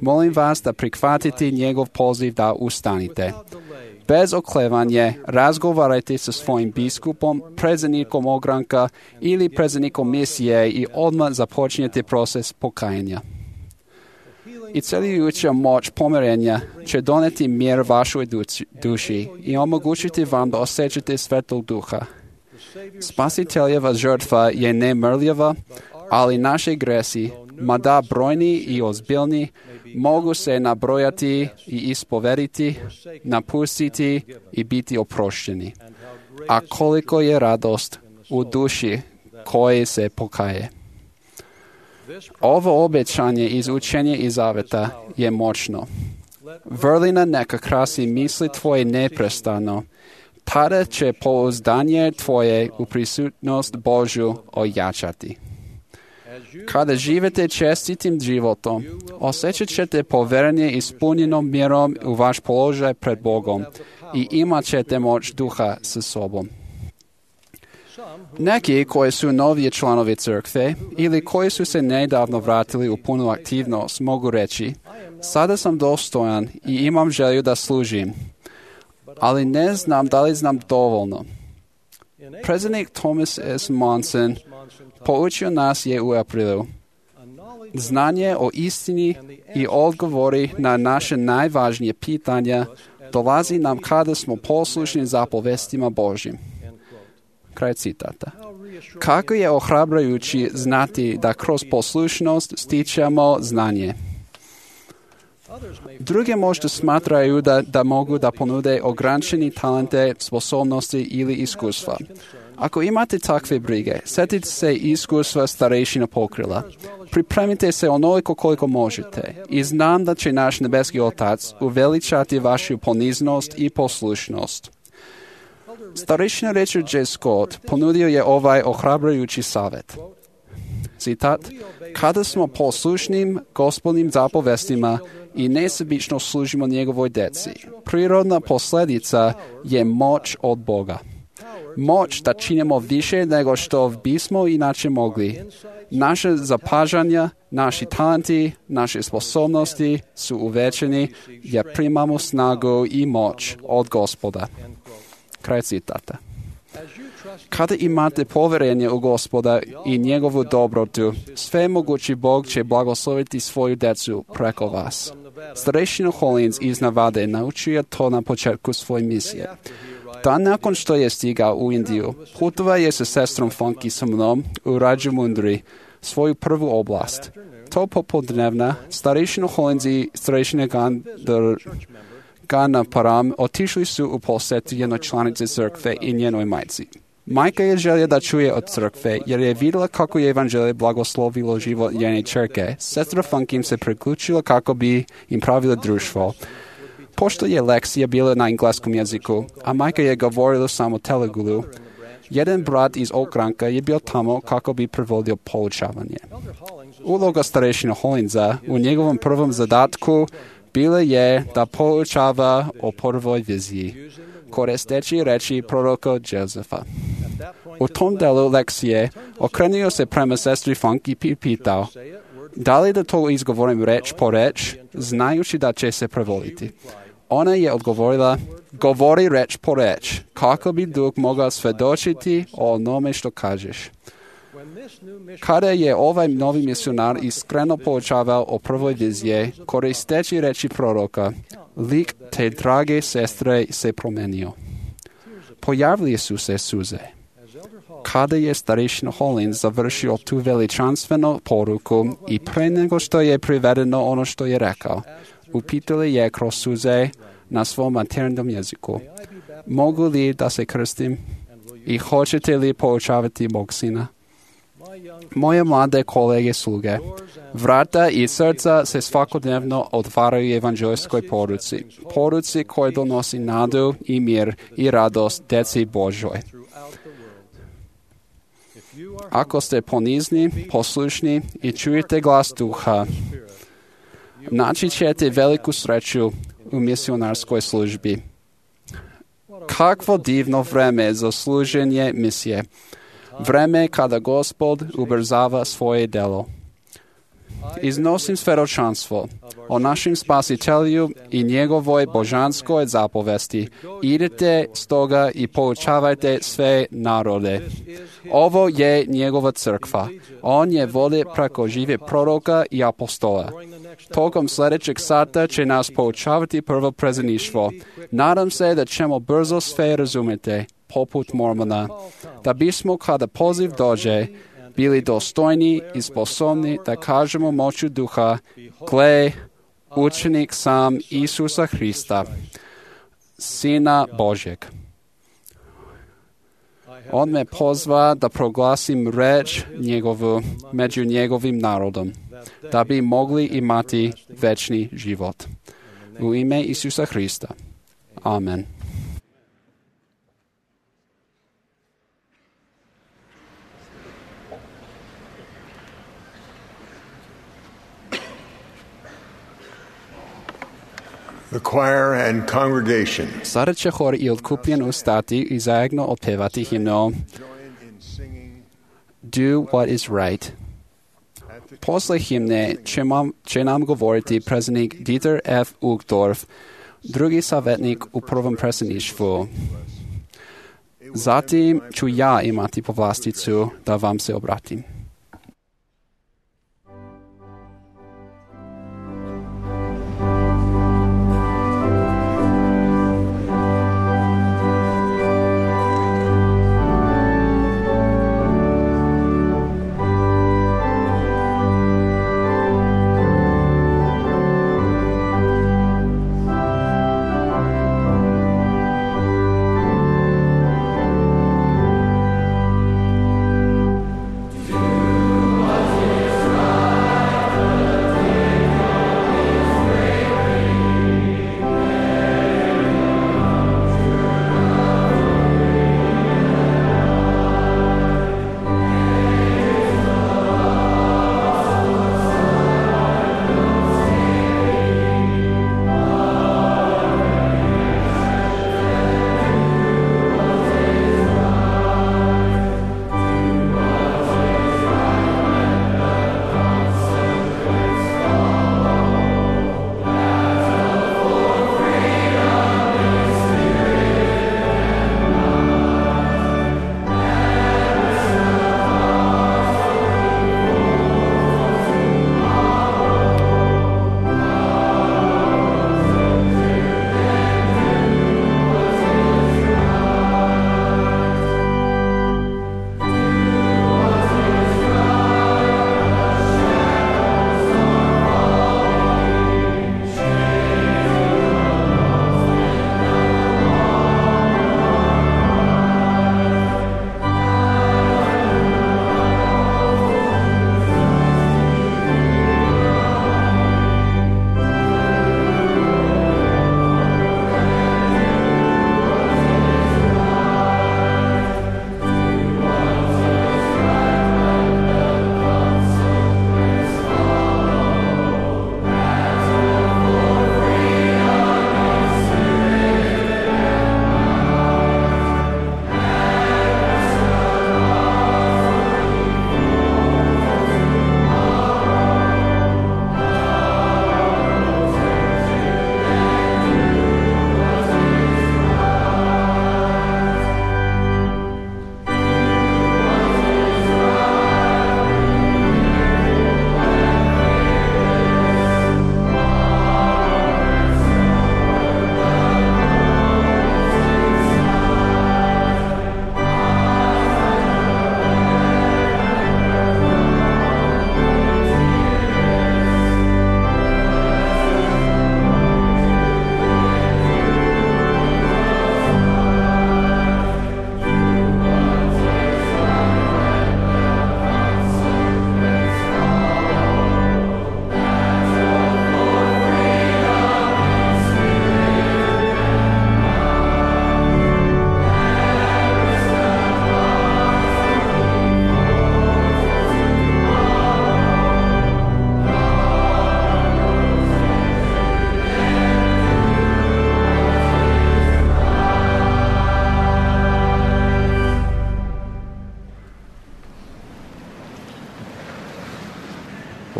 molim vas da prihvatite njegov poziv da ustanite. Bez oklevanja razgovarajte sa svojim biskupom, predsjednikom ogranka ili predsjednikom misije i odmah započnete proces pokajanja. Isceljujuća moć pomirenja će doneti mir vašoj duši i omogućiti vam da osjećate Svetog Duha. Spasiteljeva žrtva je nemrljava, ali naše gresi, mada brojni i ozbiljni, mogu se nabrojati i ispovediti, napustiti i biti oprošteni. A koliko je radost u duši koje se pokaje. Ovo obećanje iz učenja i zaveta je moćno. Vrlina neka krasi misli tvoje neprestano. Tada će pouzdanje tvoje u prisutnost Božju ojačati. Kada živite čestitim životom, osjećat ćete poverenje ispunjenom mjerom u vaš položaj pred Bogom i imat ćete moć duha sa sobom. Neki koji su noviji članovi crkve ili koji su se nedavno vratili u punu aktivnost mogu reći: sada sam dostojan i imam želju da služim, ali ne znam da li znam dovoljno. Predsjednik Thomas S. Monson poučio nas je u aprilu: znanje o istini i odgovori na naše najvažnije pitanja dolazi nam kada smo poslušni zapovestima Božjim. Kraj citata. Kako je ohrabrujući znati da kroz poslušnost stičemo znanje. Druge možda smatraju da mogu da ponude ograničeni talente, sposobnosti ili iskustva. Ako imate takve brige, sjetite se iskustva starejšina pokrila. Pripremite se onoliko koliko možete i znam da će naš nebeski Otac uveličati vašu poniznost i poslušnost. Starejšina Richard J. Scott ponudio je ovaj ohrabrujući savjet. Citat: kada smo poslušnim Gospodnim zapovestima i nesebično služimo njegovoj djeci, prirodna posljedica je moć od Boga. Moć da činimo više nego što bismo inače mogli. Naše zapažanja, naši talenti, naše sposobnosti su uvećeni jer primamo snagu i moć od Gospoda. Kraj citata. Kada imate povjerenje u Gospoda i njegovu dobrotu, svemogući Bog će blagosloviti svoju djecu preko vas. Starešina Hollins iz Navade naučio to na početku svoje misije. Dan nakon što je stigao u Indiju, putovao je sa sestrom Funky sa mnom u Rajamundry, svoju prvu oblast. To popodnevna, starešina Hollins i starešina Gana Param otišli su u posjetu jednoj članici crkve i njenoj majci. Majka je želja da čuje od crkve, jer je vidjela kako je evanđelje blagoslovilo život njene ćerke. Sestra Funky se priključila kako bi im pravila društvo. Pošto je lekcija bila na engleskom jeziku, a majka je govorila samo telugu, jedan brat iz okranka je bio tamo kako bi prevodio poučavanje. Uloga starešina Hollinsa u njegovom prvom zadatku bila je da poučava o prvoj viziji, koristeći reči proroka Josefa. U tom delu lekcije okrenuo se prema sestri Funky i pitao: da li da to izgovorim reč po reč, znajući da će se prevoditi? Ona je odgovorila: govori reč po reč, kako bi Duh mogao svedočiti o onome što kažeš. Kada je ovaj novi misionar iskreno poučavao o prvoj vizije, koristeći reči proroka, lik te drage sestre se promenio. Pojavili su se suze. Kada je starešina Hollins završio tu veličanstvenu poruku i pre nego što je privedeno ono što je rekao, upitali je kroz suze na svom materinjem jeziku: mogu li da se krstim i hoćete li poučavati mog sina? Moje mlade kolege sluge, vrata i srca se svakodnevno otvaraju evanđelijskoj poruci koja donosi nadu i mir i radost djeci Božoj. Ako ste ponizni, poslušni i čujete glas Duha, naći ćete veliku sreću u misionarskoj službi. Kakvo divno vreme za služenje misije. Vreme kada Gospod ubrzava svoje delo. Iznosim svedočanstvo o našem Spasitelju i njegovoj božanskoj zapovesti. Idite stoga i poučavajte sve narode. Ovo je njegova crkva. On je vodi preko žive proroka i apostola. Tokom sljedećeg sata će nas poučavati prvo predsjedništvo. Nadam se da ćemo brzo sve razumjeti, poput Mormona, da bismo kada poziv dođe bili dostojni i sposobni da kažemo moću Duha: gle, učenik sam Isusa Hrista, Sina Božjeg. On me pozva da proglasim reč njegovu među njegovim narodom, da bi mogli imati večni život. U ime Isusa Hrista. Amen. The choir and congregation Sada će hor i otkupljen ustati i zajedno otpevati himno Do What Is Right. Posle himne će nam govoriti predsjednik Dieter F. Uchtdorf, drugi savjetnik u prvom predsjedništvu. Zatim ću ja imati povlasticu da vam se obratim.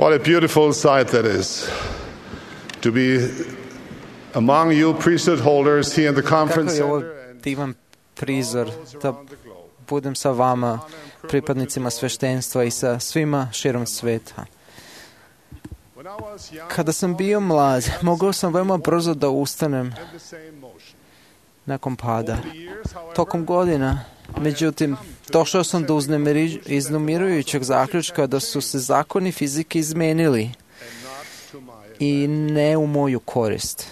What a beautiful sight that is, to be among you priesthood holders here in the conference Kako je ovo center and divan prizor da budem sa vama, pripadnicima sveštenstva i sa svima širom sveta. Kada sam bio mlad, mogao sam veoma brzo da ustanem nakon pada. Tokom godina, međutim, došao sam do iznemirujućeg zaključka da su se zakoni fizike izmenili i ne u moju korist.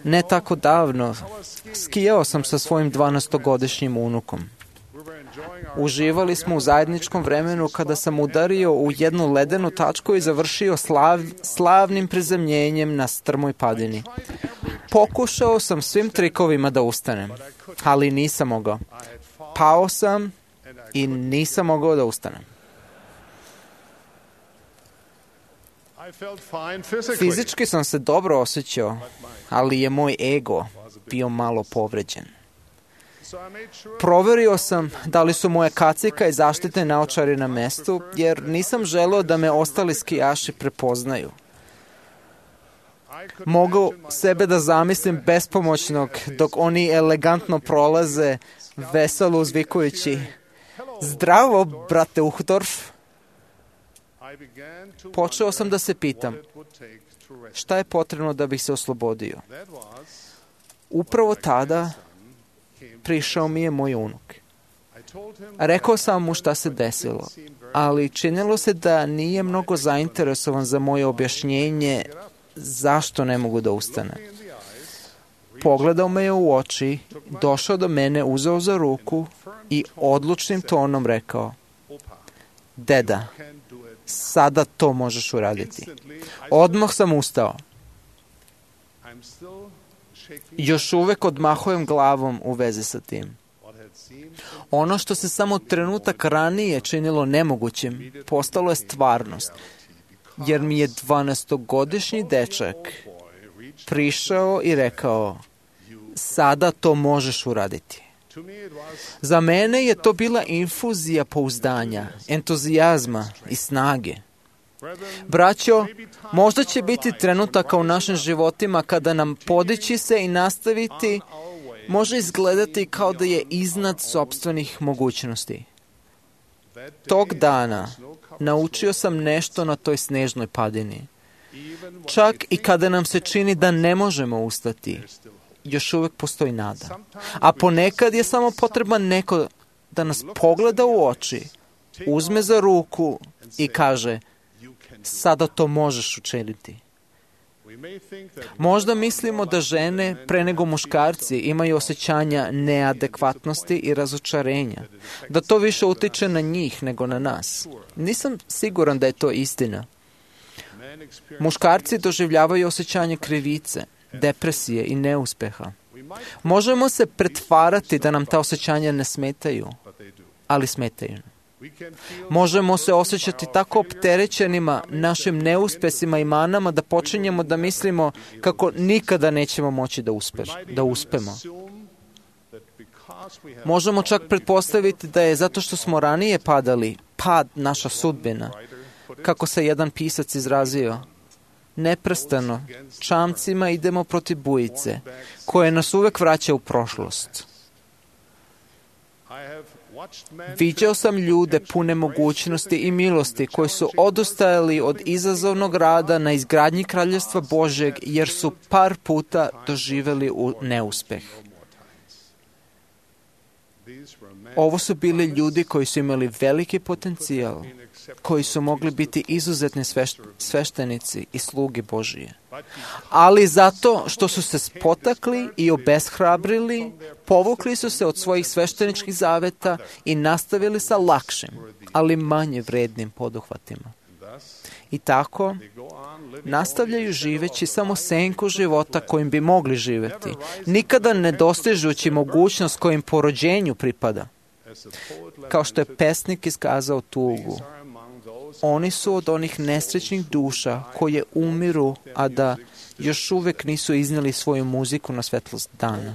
Ne tako davno, skijao sam sa svojim 12-godišnjim unukom. Uživali smo u zajedničkom vremenu kada sam udario u jednu ledenu tačku i završio slavnim prizemljenjem na strmoj padini. Pokušao sam svim trikovima da ustanem, ali nisam mogao. Pao sam i nisam mogao da ustanem. I felt fine physically. Fizički sam se dobro osjećao, ali je moj ego bio malo povređen. So I made sure Proverio sam da li su moje kacika i zaštitne naočare na mestu, jer nisam želeo da me ostali skijaši prepoznaju. I could Mogu imagine myself sebe da zamislim bespomoćnog dok oni elegantno prolaze, veselo uzvikujući: "Zdravo, brate Uhdorf." I began to Počeo sam da se pitam, what it would take to rescue. šta je potrebno da bih se oslobodio. That was Upravo tada prišao mi je moj unuk. I told him Rekao sam mu šta se desilo, ali činilo se da nije mnogo zainteresovan za moje objašnjenje zašto ne mogu da ustane. in the eyes, Pogledao me je u oči, došao do mene, uzeo za ruku i odlučnim tonom rekao: Opa, "Deda, can do it. sada to možeš uraditi." Instantly, I Odmah sam ustao. I'm still shaking Još uvek odmahujem glavom u vezi sa tim. what had seemed Ono što se samo trenutak ranije činilo nemogućim, postalo je stvarnost, jer mi je 12-godišnji dečak boy reached. prišao i rekao: "Sada to možeš uraditi." To me it was Za mene je to bila infuzija pouzdanja, entuzijazma i snage. Braćo, možda će biti trenutaka u našim životima kada nam podići se i nastaviti može izgledati kao da je iznad sopstvenih mogućnosti. Tog dana naučio sam nešto na toj snežnoj padini. Čak i kada nam se čini da ne možemo ustati, još uvek postoji nada. A ponekad je samo potreban neko da nas pogleda u oči, uzme za ruku i kaže: "Sada to možeš učiniti." Možda mislimo da žene, pre nego muškarci, imaju osjećanja neadekvatnosti i razočarenja, da to više utiče na njih nego na nas. Nisam siguran da je to istina. Muškarci doživljavaju osjećanje krivice, depresije i neuspeha. Možemo se pretvarati da nam ta osjećanja ne smetaju, ali smetaju. Možemo se osjećati tako opterećenima našim neuspesima i manama da počinjemo da mislimo kako nikada nećemo moći da uspemo. Možemo čak pretpostaviti da je zato što smo ranije padali, pad naša sudbina. Kako se jedan pisac izrazio: "Neprestano, čamcima idemo protiv bujice, koje nas uvek vraća u prošlost." Viđao sam ljude pune mogućnosti i milosti koji su odustajali od izazovnog rada na izgradnji Kraljevstva Božjeg jer su par puta doživeli neuspeh. Ovo su bili ljudi koji su imali veliki potencijal, koji su mogli biti izuzetni sveštenici i sluge Božije. Ali zato što su se spotakli i obeshrabrili, povukli su se od svojih svešteničkih zaveta i nastavili sa lakšim, ali manje vrednim poduhvatima. I tako nastavljaju živeći samo senku života kojim bi mogli živeti, nikada ne dostižući mogućnost kojim po rođenju pripada. Kao što je pesnik iskazao tugu, oni su od onih nesrećnih duša koje umiru, a da još uvek nisu iznijeli svoju muziku na svetlost dana.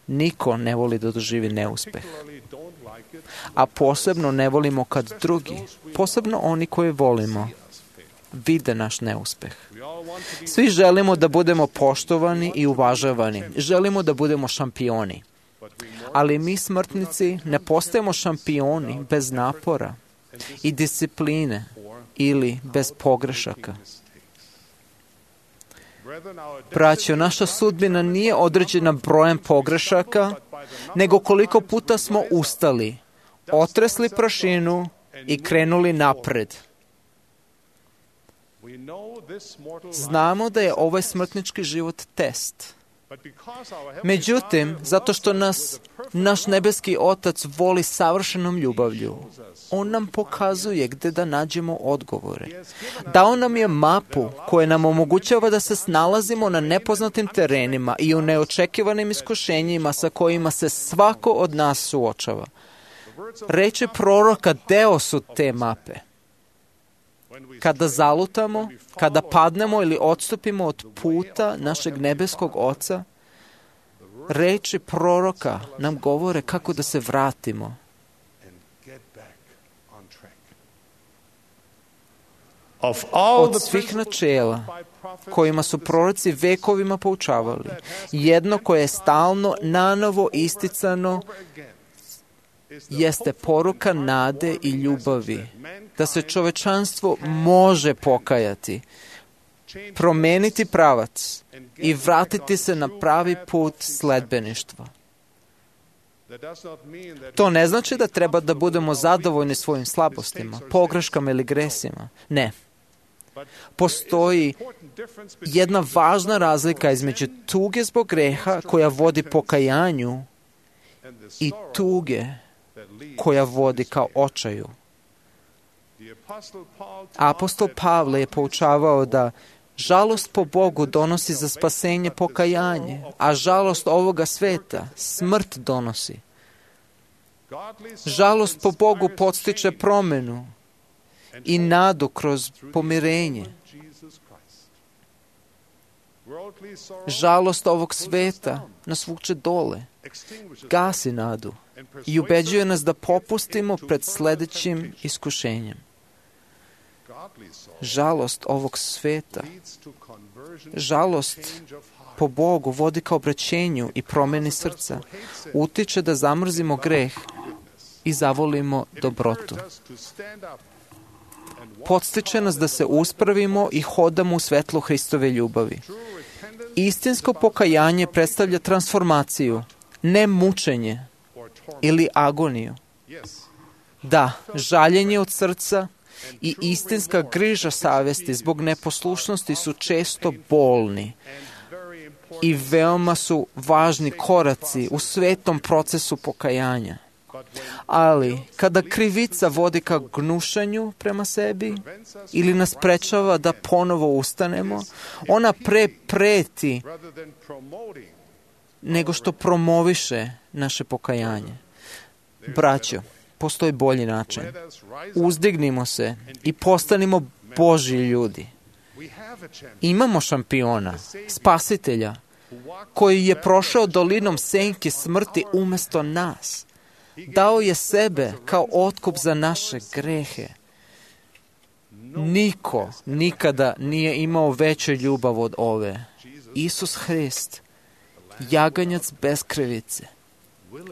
Niko ne voli da doživi neuspeh. A posebno ne volimo kad drugi, posebno oni koje volimo, vide naš neuspeh. Svi želimo da budemo poštovani i uvažavani. Želimo da budemo šampioni. Ali mi smrtnici ne postajemo šampioni bez napora i discipline ili bez pogrešaka. Braćo, naša sudbina nije određena brojem pogrešaka, nego koliko puta smo ustali, otresli prašinu i krenuli napred. Znamo da je ovaj smrtnički život test. Međutim, zato što nas naš nebeski Otac voli savršenom ljubavlju, On nam pokazuje gde da nađemo odgovore. Dao nam je mapu koja nam omogućava da se snalazimo na nepoznatim terenima i u neočekivanim iskušenjima sa kojima se svako od nas suočava. Reči proroka deo su te mape. kada zalutamo, kada padnemo ili odstupimo od puta našeg nebeskog Oca, reči proroka nam govore kako da se vratimo. Od svih načela kojima su proroci vekovima poučavali, jedno koje je stalno nanovo isticano jeste poruka nade i ljubavi, da se čovečanstvo može pokajati, promeniti pravac i vratiti se na pravi put sledbeništva. To ne znači da treba da budemo zadovoljni svojim slabostima, pogreškama ili gresima. Ne. Postoji jedna važna razlika između tuge zbog greha koja vodi pokajanju i tuge koja vodi kao očaju. Apostol Pavle je poučavao da žalost po Bogu donosi za spasenje pokajanje, a žalost ovoga sveta smrt donosi. Žalost po Bogu podstiče promenu i nadu kroz pomirenje. Žalost ovog sveta nas vuče dole, gasi nadu i ubeđuje nas da popustimo pred sledećim iskušenjem. Žalost ovog sveta, žalost po Bogu vodi ka obraćenju i promeni srca, utiče da zamrzimo greh i zavolimo dobrotu. Podstiče nas da se uspravimo i hodamo u svetlu Hristove ljubavi. Istinsko pokajanje predstavlja transformaciju, ne mučenje ili agoniju. Da, žaljenje od srca i istinska griža savesti zbog neposlušnosti su često bolni i veoma su važni koraci u svetom procesu pokajanja. Ali, kada krivica vodi ka gnušanju prema sebi ili nas sprečava da ponovo ustanemo, ona pre preti nego što promoviše naše pokajanje. Braćo, postoji bolji način. Uzdignimo se i postanimo Božji ljudi. Imamo šampiona, spasitelja, koji je prošao dolinom senke smrti umesto nas. Dao je sebe kao otkup za naše grehe. Niko nikada nije imao veću ljubav od ove. Isus Hrist, jaganjac bez krivice,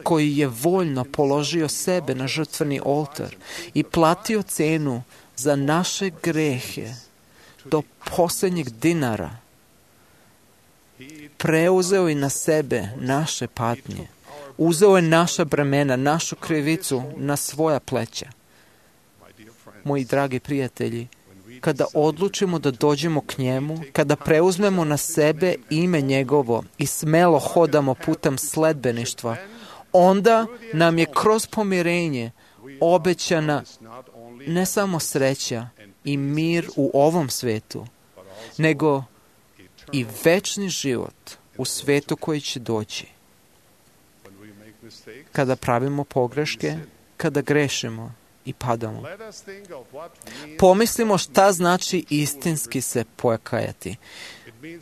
koji je voljno položio sebe na žrtveni oltar i platio cenu za naše grehe do posljednjeg dinara. Preuzeo je na sebe naše patnje. Uzeo je naša bremena, našu krivicu na svoja pleća. Moji dragi prijatelji, kada odlučimo da dođemo k njemu, kada preuzmemo na sebe ime njegovo i smelo hodamo putem sledbeništva, onda nam je kroz pomirenje obećana ne samo sreća i mir u ovom svetu, nego i večni život u svetu koji će doći. Kada pravimo pogreške, kada grešimo i padamo. Pomislimo šta znači istinski se pokajati.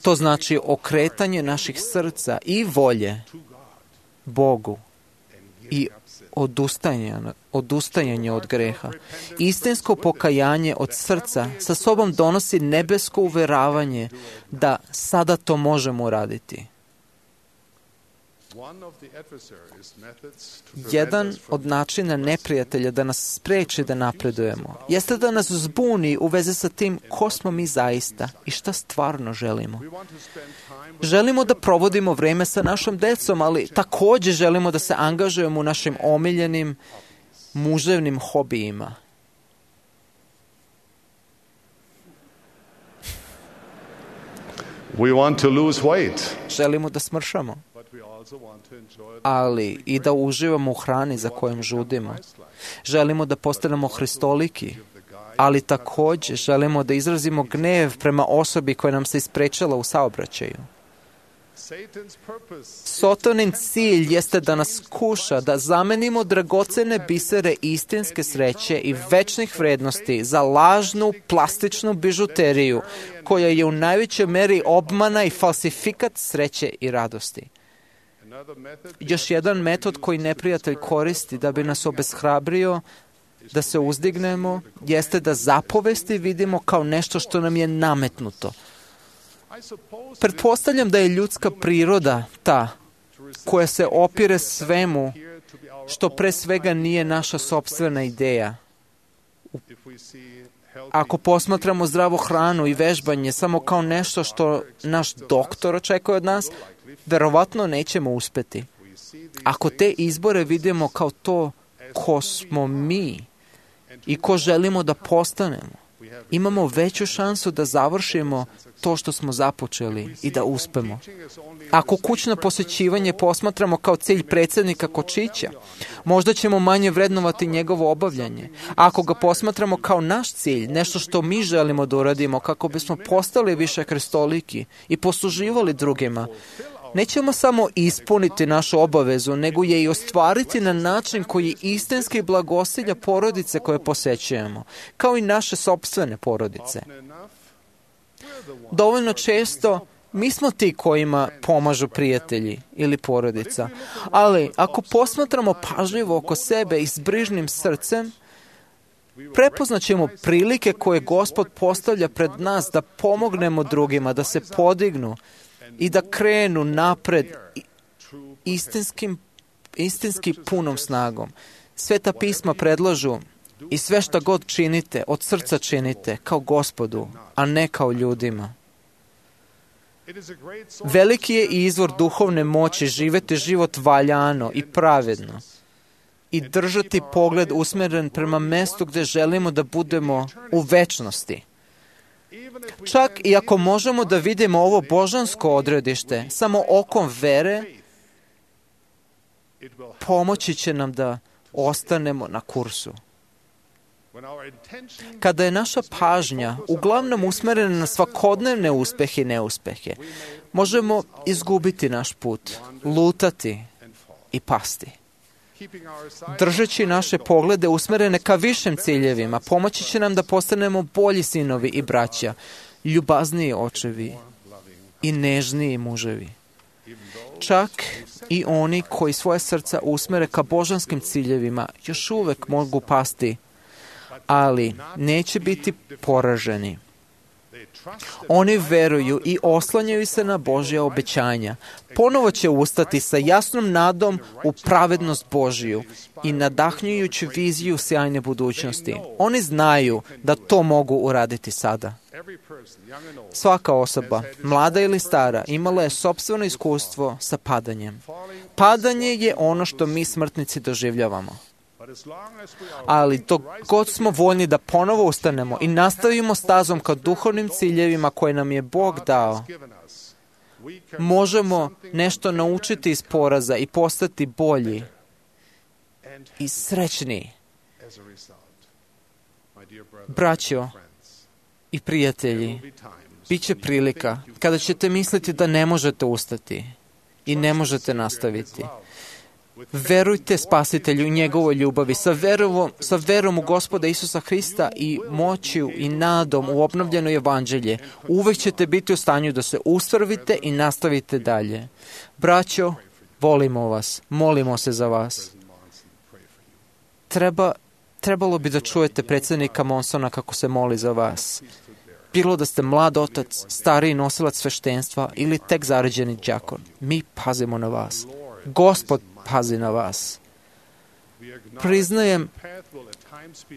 To znači okretanje naših srca i volje Bogu i odustajanje od greha. Istinsko pokajanje od srca sa sobom donosi nebesko uveravanje da sada to možemo uraditi. Jedan od načina neprijatelja da nas spreči da napredujemo jeste da nas zbuni u vezi sa tim ko smo mi zaista i šta stvarno želimo. Želimo da provodimo vreme sa našom decom, ali također želimo da se angažujemo u našim omiljenim muževnim hobijima. We want to lose weight. Želimo da smršamo, ali i da uživamo u hrani za kojom žudimo. Želimo da postanemo hristoliki, ali također želimo da izrazimo gnev prema osobi koja nam se isprečala u saobraćaju. Satanin cilj jeste da nas kuša, da zamenimo dragocene bisere istinske sreće i večnih vrednosti za lažnu, plastičnu bižuteriju, koja je u najvećoj meri obmana i falsifikat sreće i radosti. Još jedan metod koji neprijatelj koristi da bi nas obeshrabrio da se uzdignemo, jeste da zapovesti vidimo kao nešto što nam je nametnuto. Pretpostavljam da je ljudska priroda ta koja se opire svemu što pre svega nije naša sopstvena ideja. Ako posmatramo zdravu hranu i vežbanje samo kao nešto što naš doktor očekuje od nas, verovatno nećemo uspeti. Ako te izbore vidimo kao to ko smo mi i ko želimo da postanemo, imamo veću šansu da završimo to što smo započeli i da uspemo. Ako kućno posjećivanje posmatramo kao cilj predsjednika Kočića, možda ćemo manje vrednovati njegovo obavljanje. Ako ga posmatramo kao naš cilj, nešto što mi želimo da uradimo kako bismo postali više kristoliki i posluživali drugima, nećemo samo ispuniti našu obavezu, nego je i ostvariti na način koji istinski blagosilja porodice koje posećujemo, kao i naše sopstvene porodice. Dovoljno često mi smo ti kojima pomažu prijatelji ili porodica, ali ako posmatramo pažljivo oko sebe i s brižnim srcem, prepoznaćemo prilike koje Gospod postavlja pred nas da pomognemo drugima, da se podignu i da krenu napred istinski punom snagom. Sveta pisma predlažu i sve šta god činite, od srca činite, kao Gospodu, a ne kao ljudima. Veliki je izvor duhovne moći živjeti život valjano i pravedno i držati pogled usmjeren prema mestu gdje želimo da budemo u večnosti. Čak i ako možemo da vidimo ovo božansko odredište samo okom vere, pomoći će nam da ostanemo na kursu. Kada je naša pažnja uglavnom usmerena na svakodnevne uspehe i neuspehe, možemo izgubiti naš put, lutati i pasti. Držeći naše poglede usmerene ka višim ciljevima, pomoći će nam da postanemo bolji sinovi i braća, ljubazniji očevi i nežniji muževi. Čak i oni koji svoje srca usmere ka božanskim ciljevima još uvek mogu pasti, ali neće biti poraženi. Oni veruju i oslanjaju se na Božja obećanja. Ponovo će ustati sa jasnom nadom u pravednost Božiju i nadahnjujući viziju sjajne budućnosti. Oni znaju da to mogu uraditi sada. Svaka osoba, mlada ili stara, imala je sopstveno iskustvo sa padanjem. Padanje je ono što mi smrtnici doživljavamo. Ali dok god smo voljni da ponovo ustanemo i nastavimo stazom ka duhovnim ciljevima koje nam je Bog dao, možemo nešto naučiti iz poraza i postati bolji i srećniji. Braćo i prijatelji, bit će prilika kada ćete misliti da ne možete ustati i ne nastaviti. Verujte Spasitelju i njegovoj ljubavi, sa verom u Gospoda Isusa Hrista i moću i nadom u obnovljeno evanđelje. Uvek ćete biti u stanju da se ustvrdite i nastavite dalje. Braćo, volimo vas, molimo se za vas. Trebalo bi da čujete predsjednika Monsona kako se moli za vas. Bilo da ste mlad otac, stariji nosilac sveštenstva ili tek zaređeni đakon. Mi pazimo na vas. Gospod pazi na vas.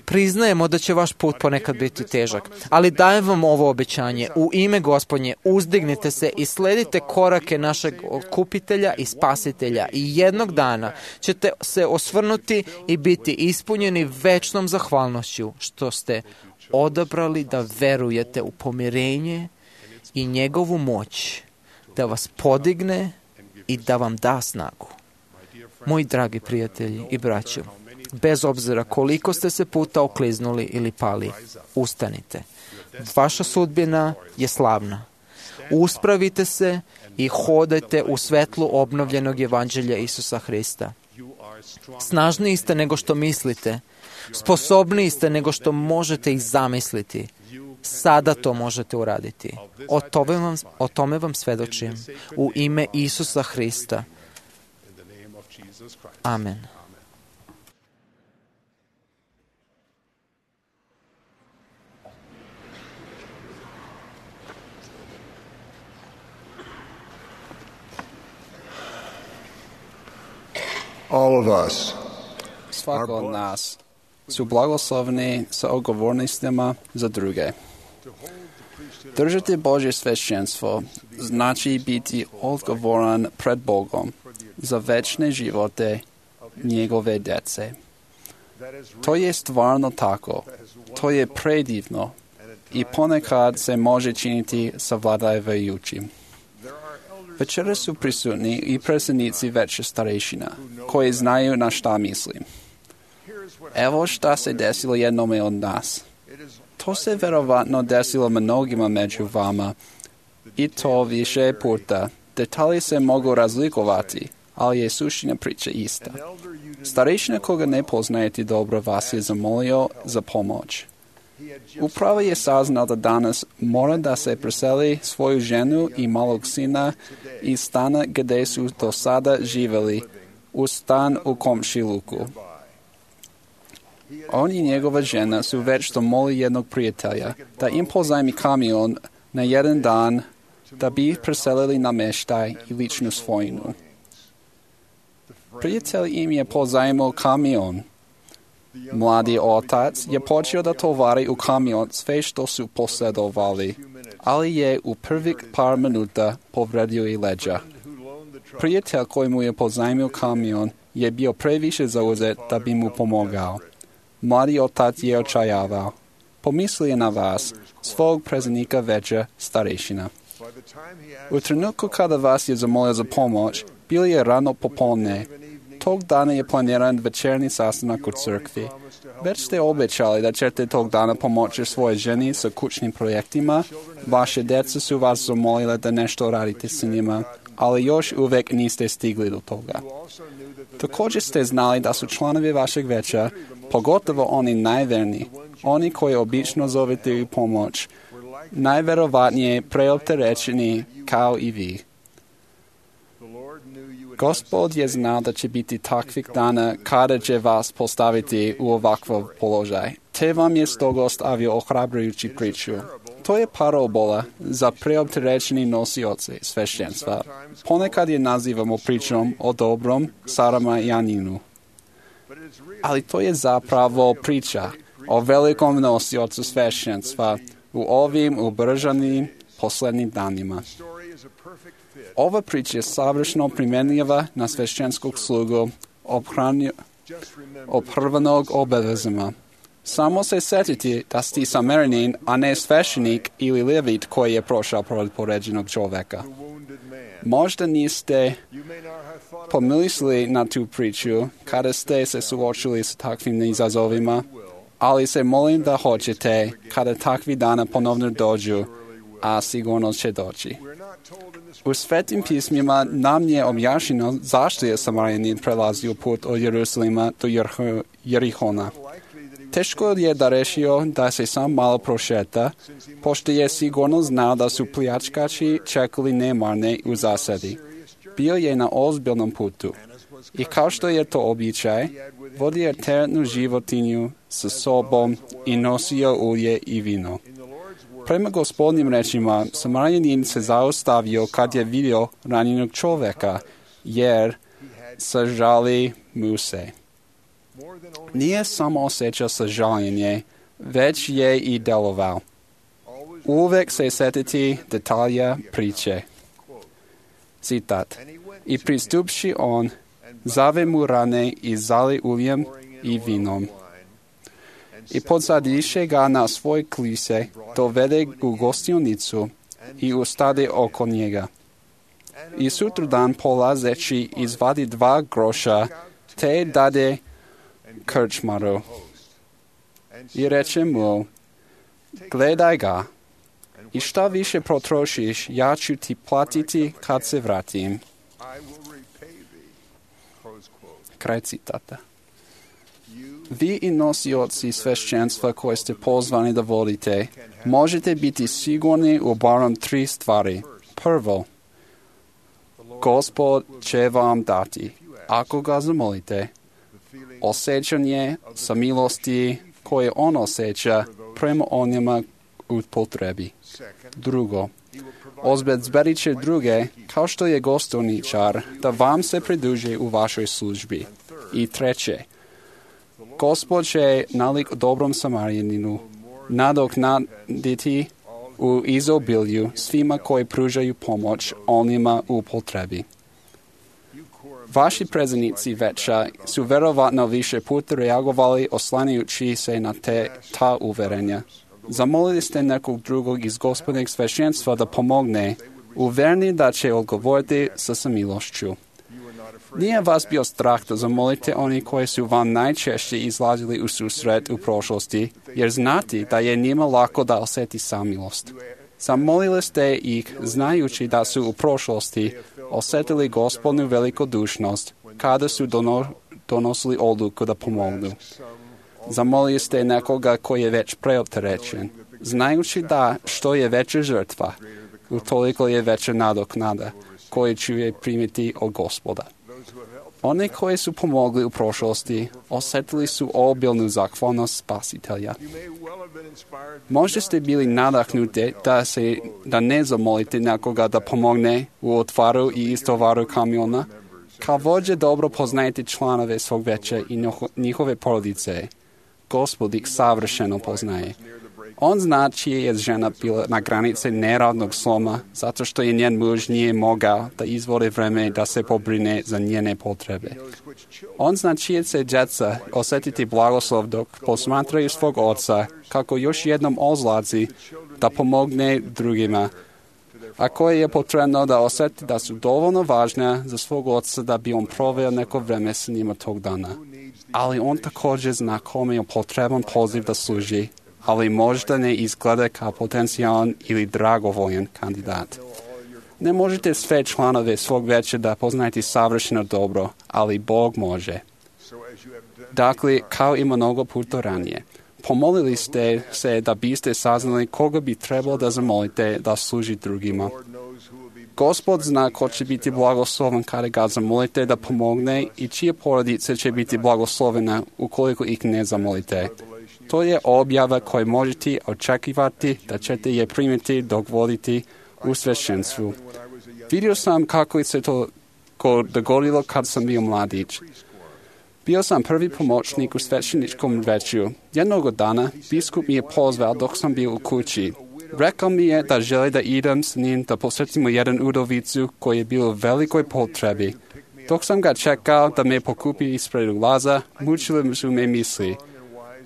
Priznajemo da će vaš put ponekad biti težak, ali dajem vam ovo obećanje. U ime Gospodnje uzdignite se i sledite korake našeg okupitelja i spasitelja i jednog dana ćete se osvrnuti i biti ispunjeni večnom zahvalnošću što ste odabrali da verujete u pomirenje i njegovu moć da vas podigne i da vam da snagu. Moji dragi prijatelji i braćo, bez obzira koliko ste se puta okliznuli ili pali, ustanite. Vaša sudbina je slavna. Uspravite se i hodajte u svetlu obnovljenog evanđelja Isusa Hrista. Snažniji ste nego što mislite, sposobniji ste nego što možete i zamisliti. Sada to možete uraditi. O tome vam svedočim. U ime Isusa Hrista. Amen. All of us Svako od nas su blagosloveni sa odgovornostima za druge. Držati Božje svešćenstvo znači biti odgovoran pred Bogom za večne živote njegove djece. To je stvarno tako. To je predivno i ponekad se može činiti savladavajućim. Večera su prisutni i predsjednici veće starešina, koji znaju na šta mislim. Evo šta se desilo jednome od nas. To se verovatno desilo mnogima među vama, i to više puta. Detalji se mogu razlikovati, ali je suština priče ista. Starešina koga ne poznajete dobro vas je zamolio za pomoć. Upravo je saznao da danas mora da se preseli svoju ženu i malog sina iz stana gdje su do sada živjeli, u stan u komšiluku. On i njegova žena su već zamolili jednog prijatelja da im pozajmi kamion na jedan dan da bi ih preselili na meštaj i ličnu svojinu. Prijatelj im je pozajmio kamion. Mladi otac je počeo da tovari u kamion sve što su posjedovali, ali je u prvih par minuta povredio i leđa. Prijatelj koji mu je pozajmio kamion je bio previše zauzet da bi mu pomogao. Mladi otac je očajavao. Pomislio je na vas, svog predsjednika veća starešina. U trenutku kada vas je zamolio za pomoć, bilo je rano popolne. Tog dana je planiran večerni sastanak u crkvi. Već ste obećali da ćete tog dana pomoći svojoj ženi sa kućnim projektima. Vaše djeca su vas zamolile da nešto radite s njima, ali još uvijek niste stigli do toga. Također ste znali da su članovi vašeg veća, pogotovo oni najverniji, oni koji obično zovete u pomoć, najverovatnije preopterećeni kao i vi. Gospod je znao da će biti takvih dana kada će vas postaviti u ovakav položaj, te vam je stoga ostavio ohrabrujući priču. To je parabola za preopterećeni nosioce svešćenstva. Ponekad je nazivamo pričom o dobrom Saramajaninu. Ali to je zapravo priča o velikom nosiocu svešćenstva u ovim ubrzanim posljednjim danima. Ova priča je savršeno primjenjiva na svešćenskog slugu oprvanog obavezama. Samo se sjetiti da ste Samarijanin, a ne sveštenik ili levit koji je prošao pored poređenog čovjeka. Možda niste pomislili na tu priču kada ste se suočili s takvim izazovima, ali se molim da hoćete kada takvi dana ponovno dođu, a sigurno će doći. U svetim pismima nam je objašnjeno zašto je Samarijanin prelazio put od Jerusalima do Jerihona. Teško je da rešio da se sam malo prošeta, pošto je sigurno znao da su pljačkači čekali nemarne u zasadi. Bio je na ozbiljnom putu i kao što je to običaj, vodio je teretnu životinju sa sobom i nosio ulje i vino. Prema Gospodnjim rečima, Samarijanin se zaustavio kad je vidio ranjenog čovjeka, jer sažali mu se. Nije samo osjećao sažaljenje, već je i delovao. Uvijek se sjetiti detalja priče. Citat. I pristupši on, zave mu rane i zali uljem i vinom. I podsadiše ga na svoj klise, dovede u gostionicu i ustade oko njega. I sutradan polazeći izvadi 2 groša, te dade krčmaru. I reče mu, gledaj ga, I šta više potrošiš, ja ću ti platiti kad se vratim. Kraj citata. Vi i nosioci svešćenstva koje ste pozvani da vodite, možete biti sigurni u barem 3 stvari. Prvo, Gospod će vam dati, ako ga zamolite, osjećanje samilosti koje on osjeća prema onima u potrebi. Drugo, obezbedit će druge, kao što je gostovničar, da vam se pridruže u vašoj službi. I treće, Gospod će nalik dobrom Samarijaninu nadoknaditi u izobilju svima koji pružaju pomoć onima u potrebi. Vaši predsjednici veća su verovatno više puta reagovali oslanjajući se na ta uverenja. Zamolili ste nekog drugog iz gospodnjeg svešćenstva da pomogne, uvereni da će odgovoriti sa samilošću. Nije vas bio strah da zamolite oni koji su vam najčešće izlazili u susret u prošlosti, jer znate da je njima lako da osjeti samilost. Zamolili ste ih znajući da su u prošlosti osjetili gospodnu velikodušnost kada su donosili odluku da pomognu. Zamolili ste nekoga koji je već preopterećen, znajući da što je veća žrtva, utoliko je veća nadoknada koju ću je primiti od Gospoda. Oni koji su pomogli u prošlosti osjetili su obilnu zahvalnost Spasitelja. Možda ste bili nadahnuti da ne zamolite nekoga da pomogne u otvaru i istovaru kamiona. Kao vođe dobro poznajete članove svog veća i njihove porodice. Gospod ih savršeno poznaje. On zna čija je žena bila na granici neradnog sloma, zato što je njen muž nije mogao da izvodi vreme da se pobrine za njene potrebe. On zna čije će djeca osjetiti blagoslov dok posmatraju svog oca, kako još jednom odlazi da pomogne drugima, a koje je potrebno da osjeti da su dovoljno važne za svog oca da bi on proveo neko vreme s njima tog dana. Ali on također zna kome je potreban poziv da služi, ali možda ne izgleda kao potencijalan ili dragovoljan kandidat. Ne možete sve članove svog veća da poznajete savršeno dobro, ali Bog može. Dakle, kao i mnogo puta ranije, pomolili ste se da biste saznali koga bi trebalo da zamolite da služi drugima. Gospod zna ko će biti blagosloven kada ga zamolite da pomogne i čije porodice će biti blagoslovena ukoliko ih ne zamolite. To je objava koju možete očekivati da ćete je primiti dok voditi u svešćenstvu. Vidio sam kako se to dogodilo kad sam bio mladić. Bio sam prvi pomoćnik u svećeničkom veću. Jednog dana biskup mi je pozvao dok sam bio u kući. Rekao mi je da želi da idem s njim da posjetimo jedan udovicu koji je bio u velikoj potrebi. Dok sam ga čekao da me pokupi ispred ulaza, mučile su me misli.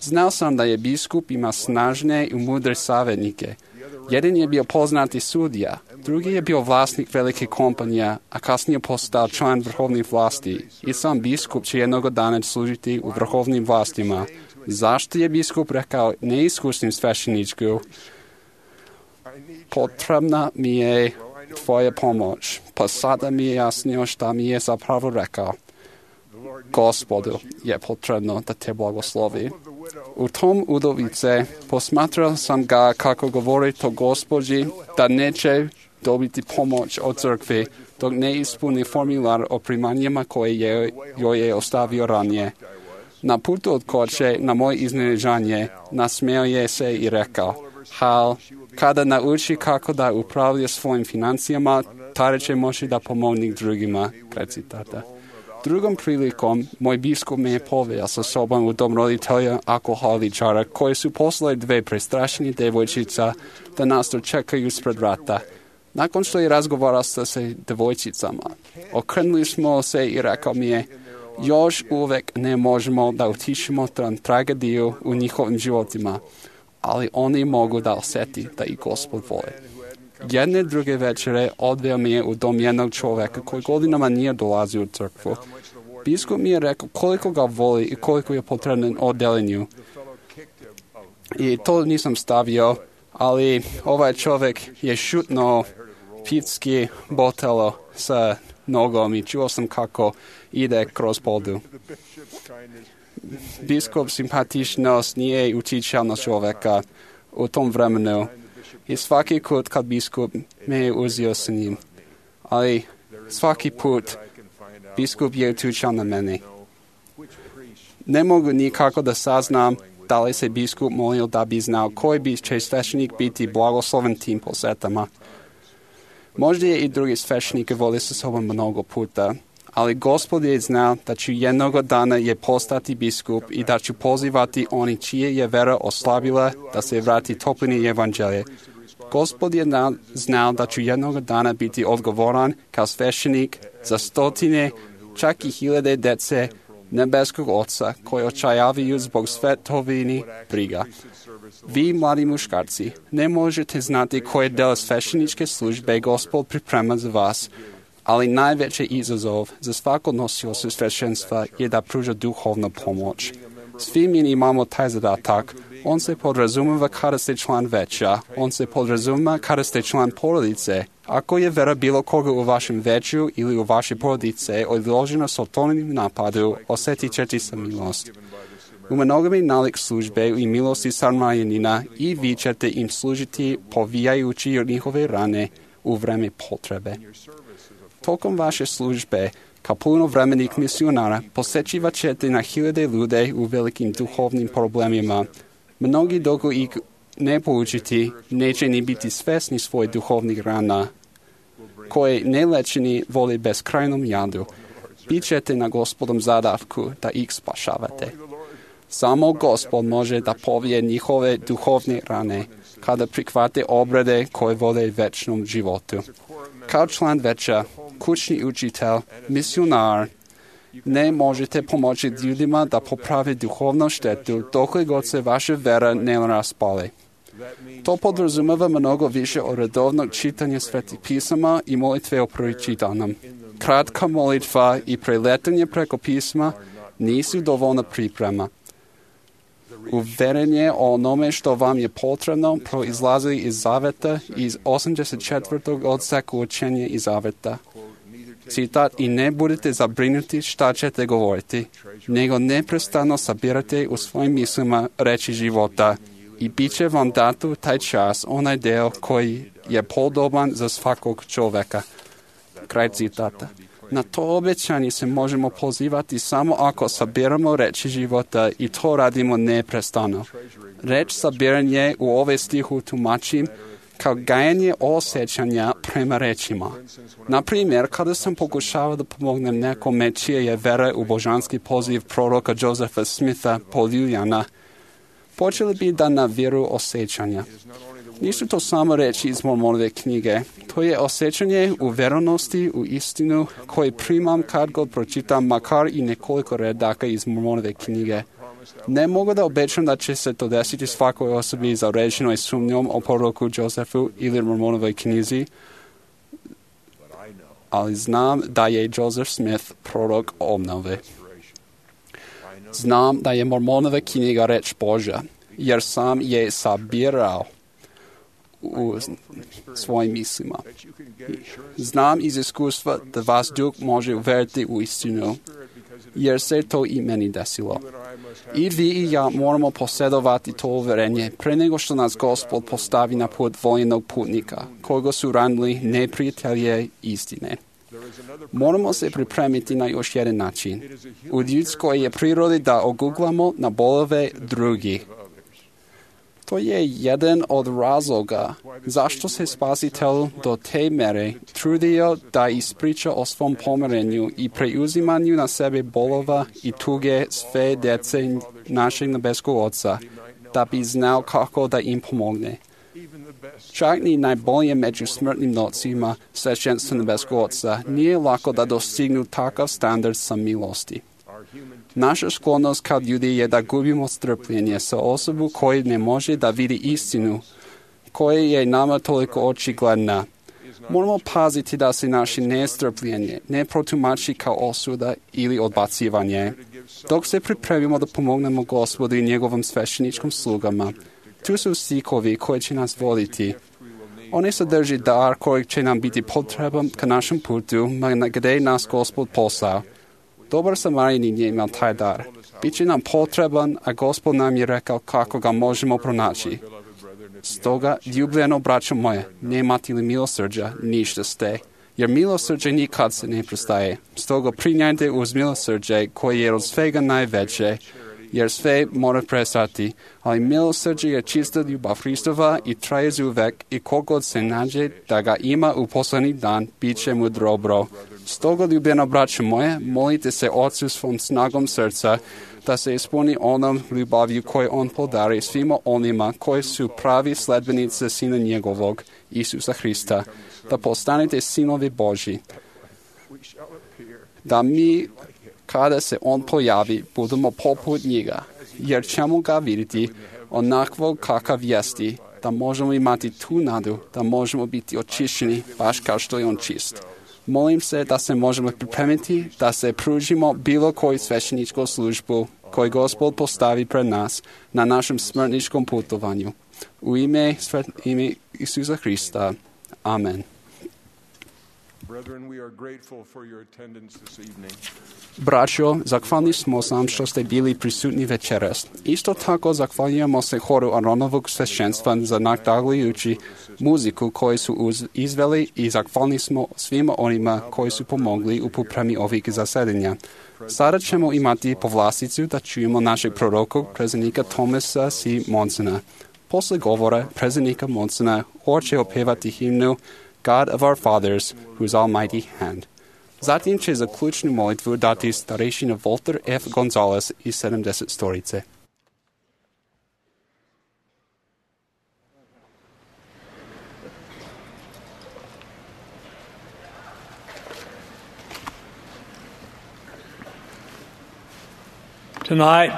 Znao sam da je biskup ima snažne i mudre savjetnike. Jedan je bio poznati sudija, drugi je bio vlasnik velike kompanije, a kasnije postao član vrhovnih vlasti. I sam biskup će jednog dana služiti u vrhovnim vlastima. Zašto je biskup rekao neiskusnim svećeniku? Potrebna mi je tvoja pomoć. Pa sada mi je jasnio šta mi je zapravo rekao. Gospodu je potrebno da te blagoslovi. U tom udovice posmatrao sam ga kako govori to gospođi da neće dobiti pomoć od crkve dok ne ispuni formular o primanjima koje joj je ostavio ranije. Na putu od kuće, na moje iznenađenje, nasmeo je se i rekao: Hal, kada nauči kako da upravlja svojim financijama, tada će moći da pomogne drugima. Kraj citata. Drugom prilikom, moj biskup me je poveo sa sobom u dom roditelja alkoholičara koji su poslali 2 prestrašene djevojčica da nas dočekaju ispred vrata. Nakon što je razgovarao sa djevojčicama, okrenuli smo se i rekao mi je: još uvijek ne možemo da utišimo tragediju u njihovim životima, ali oni mogu da osjeti da ih Gospod voli. Jedne druge večere odveo mi je u dom jednog čovjeka koji godinama nije dolazio u crkvu. Biskup mi je rekao koliko ga voli i koliko je potreban oddeljenju. I to nisam stavio, ali ovaj čovjek je šutnuo pivski botelo sa nogom i čuo sam kako ide kroz podu. Biskup simpatičnost nije utjecao na čovjeka u tom vremenu i svaki put kad biskup me je uzeo sa njim, ali svaki put biskup je utjecao na mene. Ne mogu nikako da saznam da li se biskup molio da bi znao koji će sveštenik biti blagosloven tim posetama. Možda je i drugi sveštenike voli sa sobom mnogo puta, ali Gospod je znao da ću jednog dana je postati biskup i da ću pozivati oni čije je vera oslabila da se vrati toplini evanđelje. Gospod je znao da ću jednog dana biti odgovoran kao sveštenik za stotine, čak i hiljade dece nebeskog Oca koji očajavaju zbog svetovini briga. Vi, mladi muškarci, ne možete znati koje deo svešteničke službe Gospod priprema za vas, ali najveći izazov za svako nosioca sveštenstva je da pruža duhovnu pomoć. Svi mi imamo taj zadatak. On se podrazumeva kada ste član veća, on se podrazumeva kada ste član porodice. Ako je vera bilo koga u vašem veću ili u vaše porodice odložena satanovim napadu, osjetit ćete se milost. U mnogome nalik službe i milosti Samarijanina i vi ćete im služiti povijajući njihove rane u vreme potrebe. Tokom vaše službe, kao punovremenih misionara, posjećivat ćete na hiljade ljude u velikim duhovnim problemima. Mnogi dok ih ne poučiti, neće ni biti svesni svojih duhovnih rana, koje nelečeni vole beskrajnom jadu. Bićete na Gospodom zadavku da ih spašavate. Samo Gospod može da povije njihove duhovne rane, kada prihvate obrade koje vole večnom životu. Kao član veća, kućni učitelj, misionar, ne možete pomoći ljudima da poprave duhovnu štetu dokle god se vaša vera ne raspale. To podrazumeva mnogo više od redovnog čitanja svetih pisama i molitve o pročitanom. Kratka molitva i preletanje preko pisma nisu dovoljna priprema. Uverenje o onome što vam je potrebno proizlazi iz zaveta iz 84. odseka učenja iz zaveta. Citat, i ne budete zabrinuti šta ćete govoriti, nego neprestano sabirate u svojim mislima reči života i bit će vam dato taj čas, onaj deo koji je podoban za svakog čoveka. Kraj citata. Na to obećanje se možemo pozivati samo ako sabiramo reči života i to radimo neprestano. Reč sabiranje u ove stihu tumačim kao gajanje osjećanja prema rečima. Na primjer, kada sam pokušavao da pomognem nekome čije je vera u božanski poziv proroka Josefa Smitha poljuljana, počeli bi da naviru osjećanja. Nisu to samo reči iz Mormonove knjige. To je osjećanje u vjerovnosti, u istinu, koji primam kad god pročitam makar i nekoliko redaka iz Mormonove knjige. Ne mogu da obećam da će se to desiti svakoj osobi zavređenoj sumnjom o proroku Josefu ili Mormonovoj knjizi, ali znam da je Joseph Smith prorok obnove. Znam da je Mormonova knjiga reč Božja, jer sam je sabirao u svojim mislima. Znam iz iskustva da vas Duh može uvjeriti u istinu, jer se to i meni desilo. I vi i ja moramo posjedovati to uvjerenje pre nego što nas Gospod postavi na put voljenog putnika, koga su ranili neprijatelje istine. Moramo se pripremiti na još jedan način. U ljudskoj je prirodi da oguglamo na bolove drugih. To je jedan od razloga zašto se Spasitelj do te mere trudio da ispriča o svom pomirenju i preuzimanju na sebe bolova i tuge sve djece našeg nebeskog Oca, da bi znao kako da im pomogne. Čak ni najbolje među smrtnim nocima sveštenstva nebeskog Oca nije lako da dostignu takav standard samilosti. Naša sklonost kao ljudi je da gubimo strpljenje sa osobu koji ne može da vidi istinu, koja je nama toliko očigledna. Moramo paziti da se naše nestrpljenje ne protumači kao osuda ili odbacivanje. Dok se pripremimo da pomognemo Gospodu i njegovom svešteničkom slugama, Tu su stikovi koji će nas voditi. Oni sadrži dar koji će nam biti potreban ka našem putu, ma gdje nas Gospod poslao. Dobar Samarijanin je imao taj dar. Biće nam potreban, a Gospod nam je rekao kako ga možemo pronaći. Stoga, ljubljeno braćo moje, nemate li milosrđa, ništa ste, jer milosrđe nikad se ne prestaje. Stoga prinjajte uz milosrđe koje je od svega najveće, jer sve mora prestati, ali milosrđe je čista ljubav Hristova i traje zauvek i kogod se nađe da ga ima u poslednji dan, bit će mu dobro. Stoga, ljubljeno braćo moje, molite se Otcu svom snagom srca, da se ispuni onom ljubavlju koju on podari svima onima koji su pravi sledbenici Sina njegovog, Isusa Hrista, da postanete sinovi Božji. Da mi, kada se on pojavi, budemo poput njega, jer ćemo ga vidjeti onakvog kakav jesti, da možemo imati tu nadu, da možemo biti očišćeni, baš kao što je on čist. Molim se da se možemo pripremiti, da se pružimo bilo koju svećeničku službu koju Gospod postavi pred nas na našem smrtničkom putovanju. U ime Isusa Hrista. Amen. Braćo, zahvalni smo sam što ste bili prisutni večeras. Isto tako zahvaljujemo se horu Aronovog svešćenstva za nadahnjujuću muziku koju su izveli i zahvalni smo svima onima koji su pomogli u pripremi ovih zasedanja. Sada ćemo imati povlasticu da čujemo našeg proroka, predsjednika Thomasa C. Monsona. Posle govora predsjednika Monsona hor će opevati himnu God of our fathers, whose almighty hand. Zatim će za ključnu molitvu dati starešina Walter F. Gonzalez iz 70 Storice. Tonight,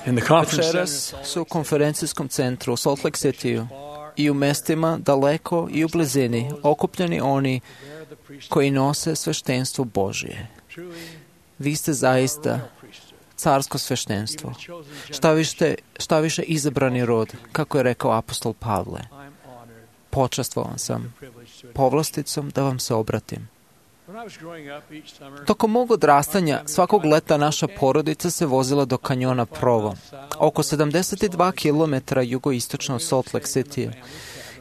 in the conference Večeras su u konferencijskom centru u Salt Lake City i u mestima daleko i u blizini okupljeni oni koji nose sveštenstvo Božije. Vi ste zaista carsko sveštenstvo. Šta više izabrani rod, kako je rekao apostol Pavle. Počastvovan sam povlasticom da vam se obratim. Tokom mog odrastanja, svakog leta naša porodica se vozila do kanjona Provo, oko 72 km jugoistočno od Salt Lake City,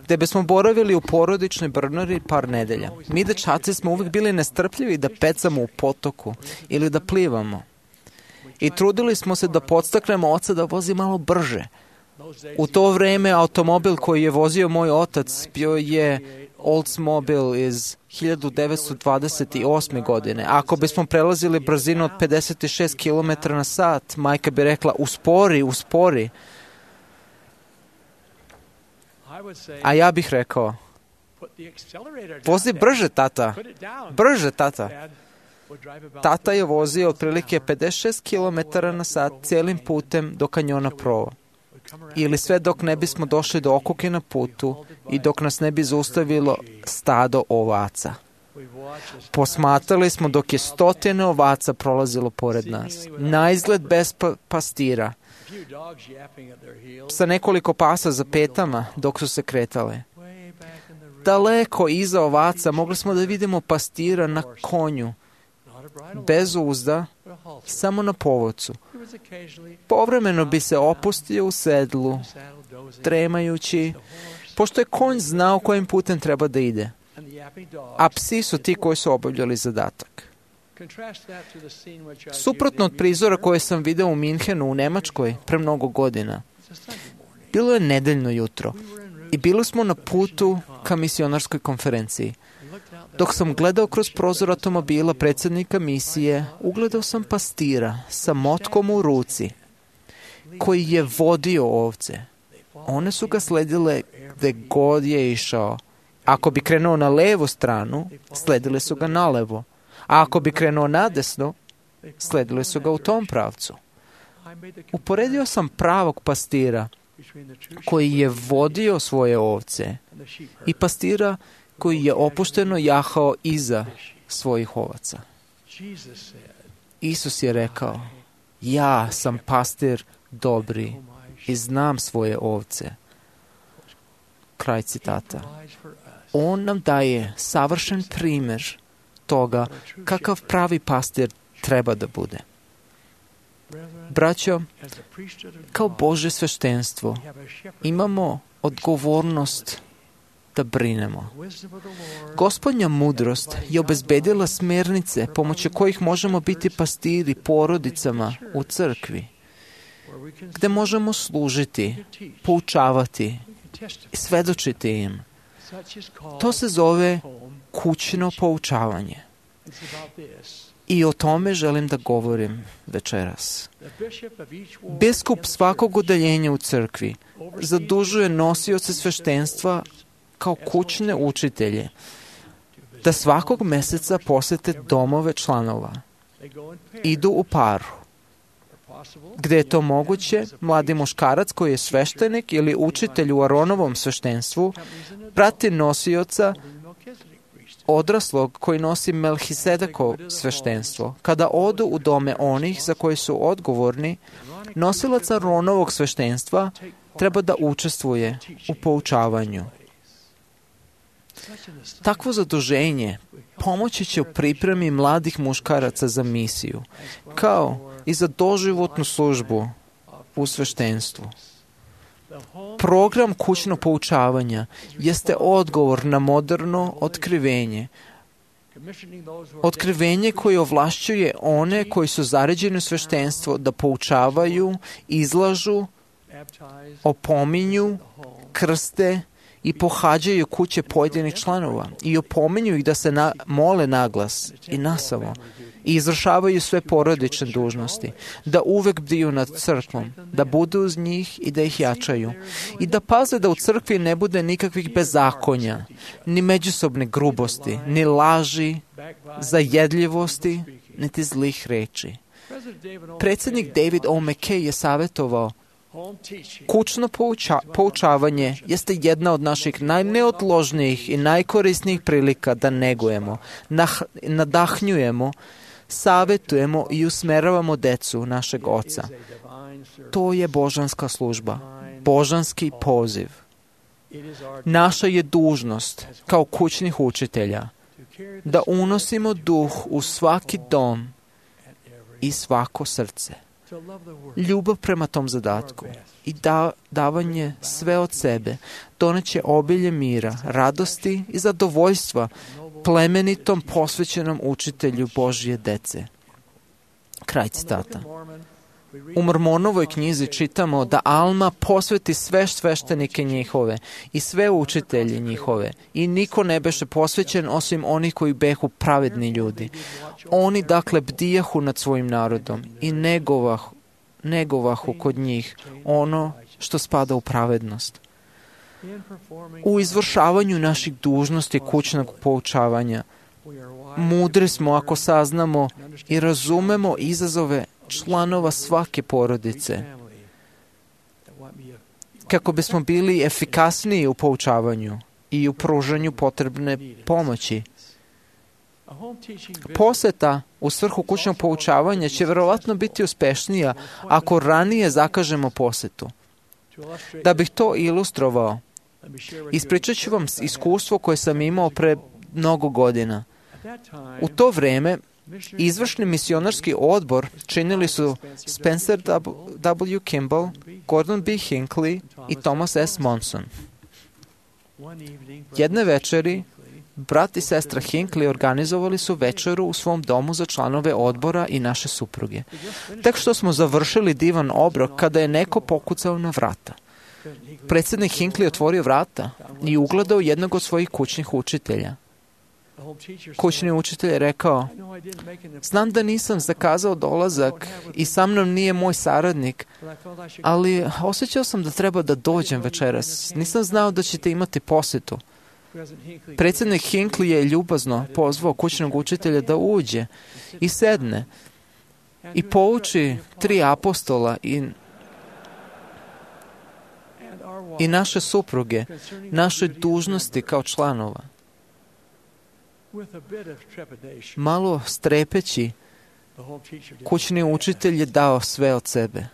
gde bismo boravili u porodičnoj brnari par nedelja. Mi dečaci smo uvijek bili nestrpljivi da pecamo u potoku ili da plivamo. I trudili smo se da podstaknemo oca da vozi malo brže. U to vreme automobil koji je vozio moj otac bio je Oldsmobile iz 1928. godine. Ako bismo prelazili brzinu od 56 km na sat, majka bi rekla uspori, uspori. A ja bih rekao, vozi brže, tata, brže, tata. Tata je vozio otprilike 56 km na sat cijelim putem do kanjona Provo. Ili sve dok ne bismo došli do okuke na putu i dok nas ne bi zaustavilo stado ovaca. Posmatrali smo dok je stotine ovaca prolazilo pored nas. Naizgled bez pastira. Sa nekoliko pasa za petama dok su se kretale. Daleko iza ovaca mogli smo da vidimo pastira na konju. Bez uzda, samo na povodcu. Povremeno bi se opustio u sedlu, tremajući, pošto je konj znao kojim putem treba da ide. A psi su ti koji su obavljali zadatak. Suprotno od prizora koje sam video u Minhenu u Nemačkoj pre mnogo godina, bilo je nedeljno jutro i bili smo na putu ka misionarskoj konferenciji. Dok sam gledao kroz prozor automobila predsjednika misije, ugledao sam pastira sa motkom u ruci, koji je vodio ovce. One su ga sledile gde god je išao. Ako bi krenuo na levu stranu, sledile su ga nalevo. A ako bi krenuo nadesno, sledile su ga u tom pravcu. Uporedio sam pravog pastira, koji je vodio svoje ovce, i pastira koji je opušteno jahao iza svojih ovaca. Isus je rekao, ja sam pastir dobri, i znam svoje ovce. Kraj citata. On nam daje savršen primjer toga kakav pravi pastir treba da bude. Braćo, kao Božje sveštenstvo imamo odgovornost da brinemo. Gospodnja mudrost je obezbedila smjernice pomoću kojih možemo biti pastiri porodicama u crkvi, gde možemo služiti, poučavati i svedočiti im. To se zove kućno poučavanje. I o tome želim da govorim večeras. Biskup svakog udaljenja u crkvi zadužuje nosioce sveštenstva kao kućne učitelje da svakog meseca posete domove članova. Idu u paru. Gde je to moguće, mladi muškarac koji je sveštenik ili učitelj u Aronovom sveštenstvu prati nosioca odraslog koji nosi Melhisedekov sveštenstvo. Kada odu u dome onih za koji su odgovorni, nosilac Aronovog sveštenstva treba da učestvuje u poučavanju. Takvo zaduženje pomoći će u pripremi mladih muškaraca za misiju, kao i za doživotnu službu u sveštenstvu. Program kućnog poučavanja jeste odgovor na moderno otkrivenje. Otkrivenje koje ovlašćuje one koji su zaređeni u sveštenstvo da poučavaju, izlažu, opominju, krste i pohađaju kuće pojedinih članova i opominju ih da se mole naglas i nasamo i izvršavaju sve porodične dužnosti, da uvek bdiju nad crkvom, da budu uz njih i da ih jačaju i da paze da u crkvi ne bude nikakvih bezakonja, ni međusobne grubosti, ni laži, zajedljivosti, niti zlih reči. Predsjednik David O. McKay je savjetovao: kućno poučavanje jeste jedna od naših najneodložnijih i najkorisnijih prilika da negujemo, nadahnjujemo, savjetujemo i usmeravamo decu našeg Oca. To je božanska služba, božanski poziv. Naša je dužnost kao kućnih učitelja da unosimo duh u svaki dom i svako srce. Ljubav prema tom zadatku i davanje sve od sebe doneće obilje mira, radosti i zadovoljstva plemenitom posvećenom učitelju Božje dece. Kraj citata. U Mormonovoj knjizi čitamo da Alma posveti sve sveštenike njihove i sve učitelje njihove i niko ne beše posvećen osim onih koji behu pravedni ljudi. Oni dakle bdijahu nad svojim narodom i negovahu kod njih ono što spada u pravednost. U izvršavanju naših dužnosti kućnog poučavanja mudri smo ako saznamo i razumemo izazove članova svake porodice, kako bismo bili efikasniji u poučavanju i u pružanju potrebne pomoći. Poseta u svrhu kućnog poučavanja će verovatno biti uspešnija ako ranije zakažemo posetu. Da bih to ilustrovao, ispričat ću vam iskustvo koje sam imao pre mnogo godina. U to vreme izvršni misionarski odbor činili su Spencer W. Kimball, Gordon B. Hinckley i Thomas S. Monson. Jedne večeri brat i sestra Hinckley organizovali su večeru u svom domu za članove odbora i naše supruge. Tek što smo završili divan obrok kada je neko pokucao na vrata. Predsjednik Hinckley otvorio vrata i ugledao jednog od svojih kućnih učitelja. Kućni učitelj je rekao: znam da nisam zakazao dolazak i sa mnom nije moj saradnik, ali osjećao sam da treba da dođem večeras. Nisam znao da ćete imati posjetu. Predsjednik Hinckley je ljubazno pozvao kućnog učitelja da uđe i sedne i pouči 3 apostola i naše supruge, naše dužnosti kao članova. Malo strepeći, kućni učitelj je dao sve od sebe.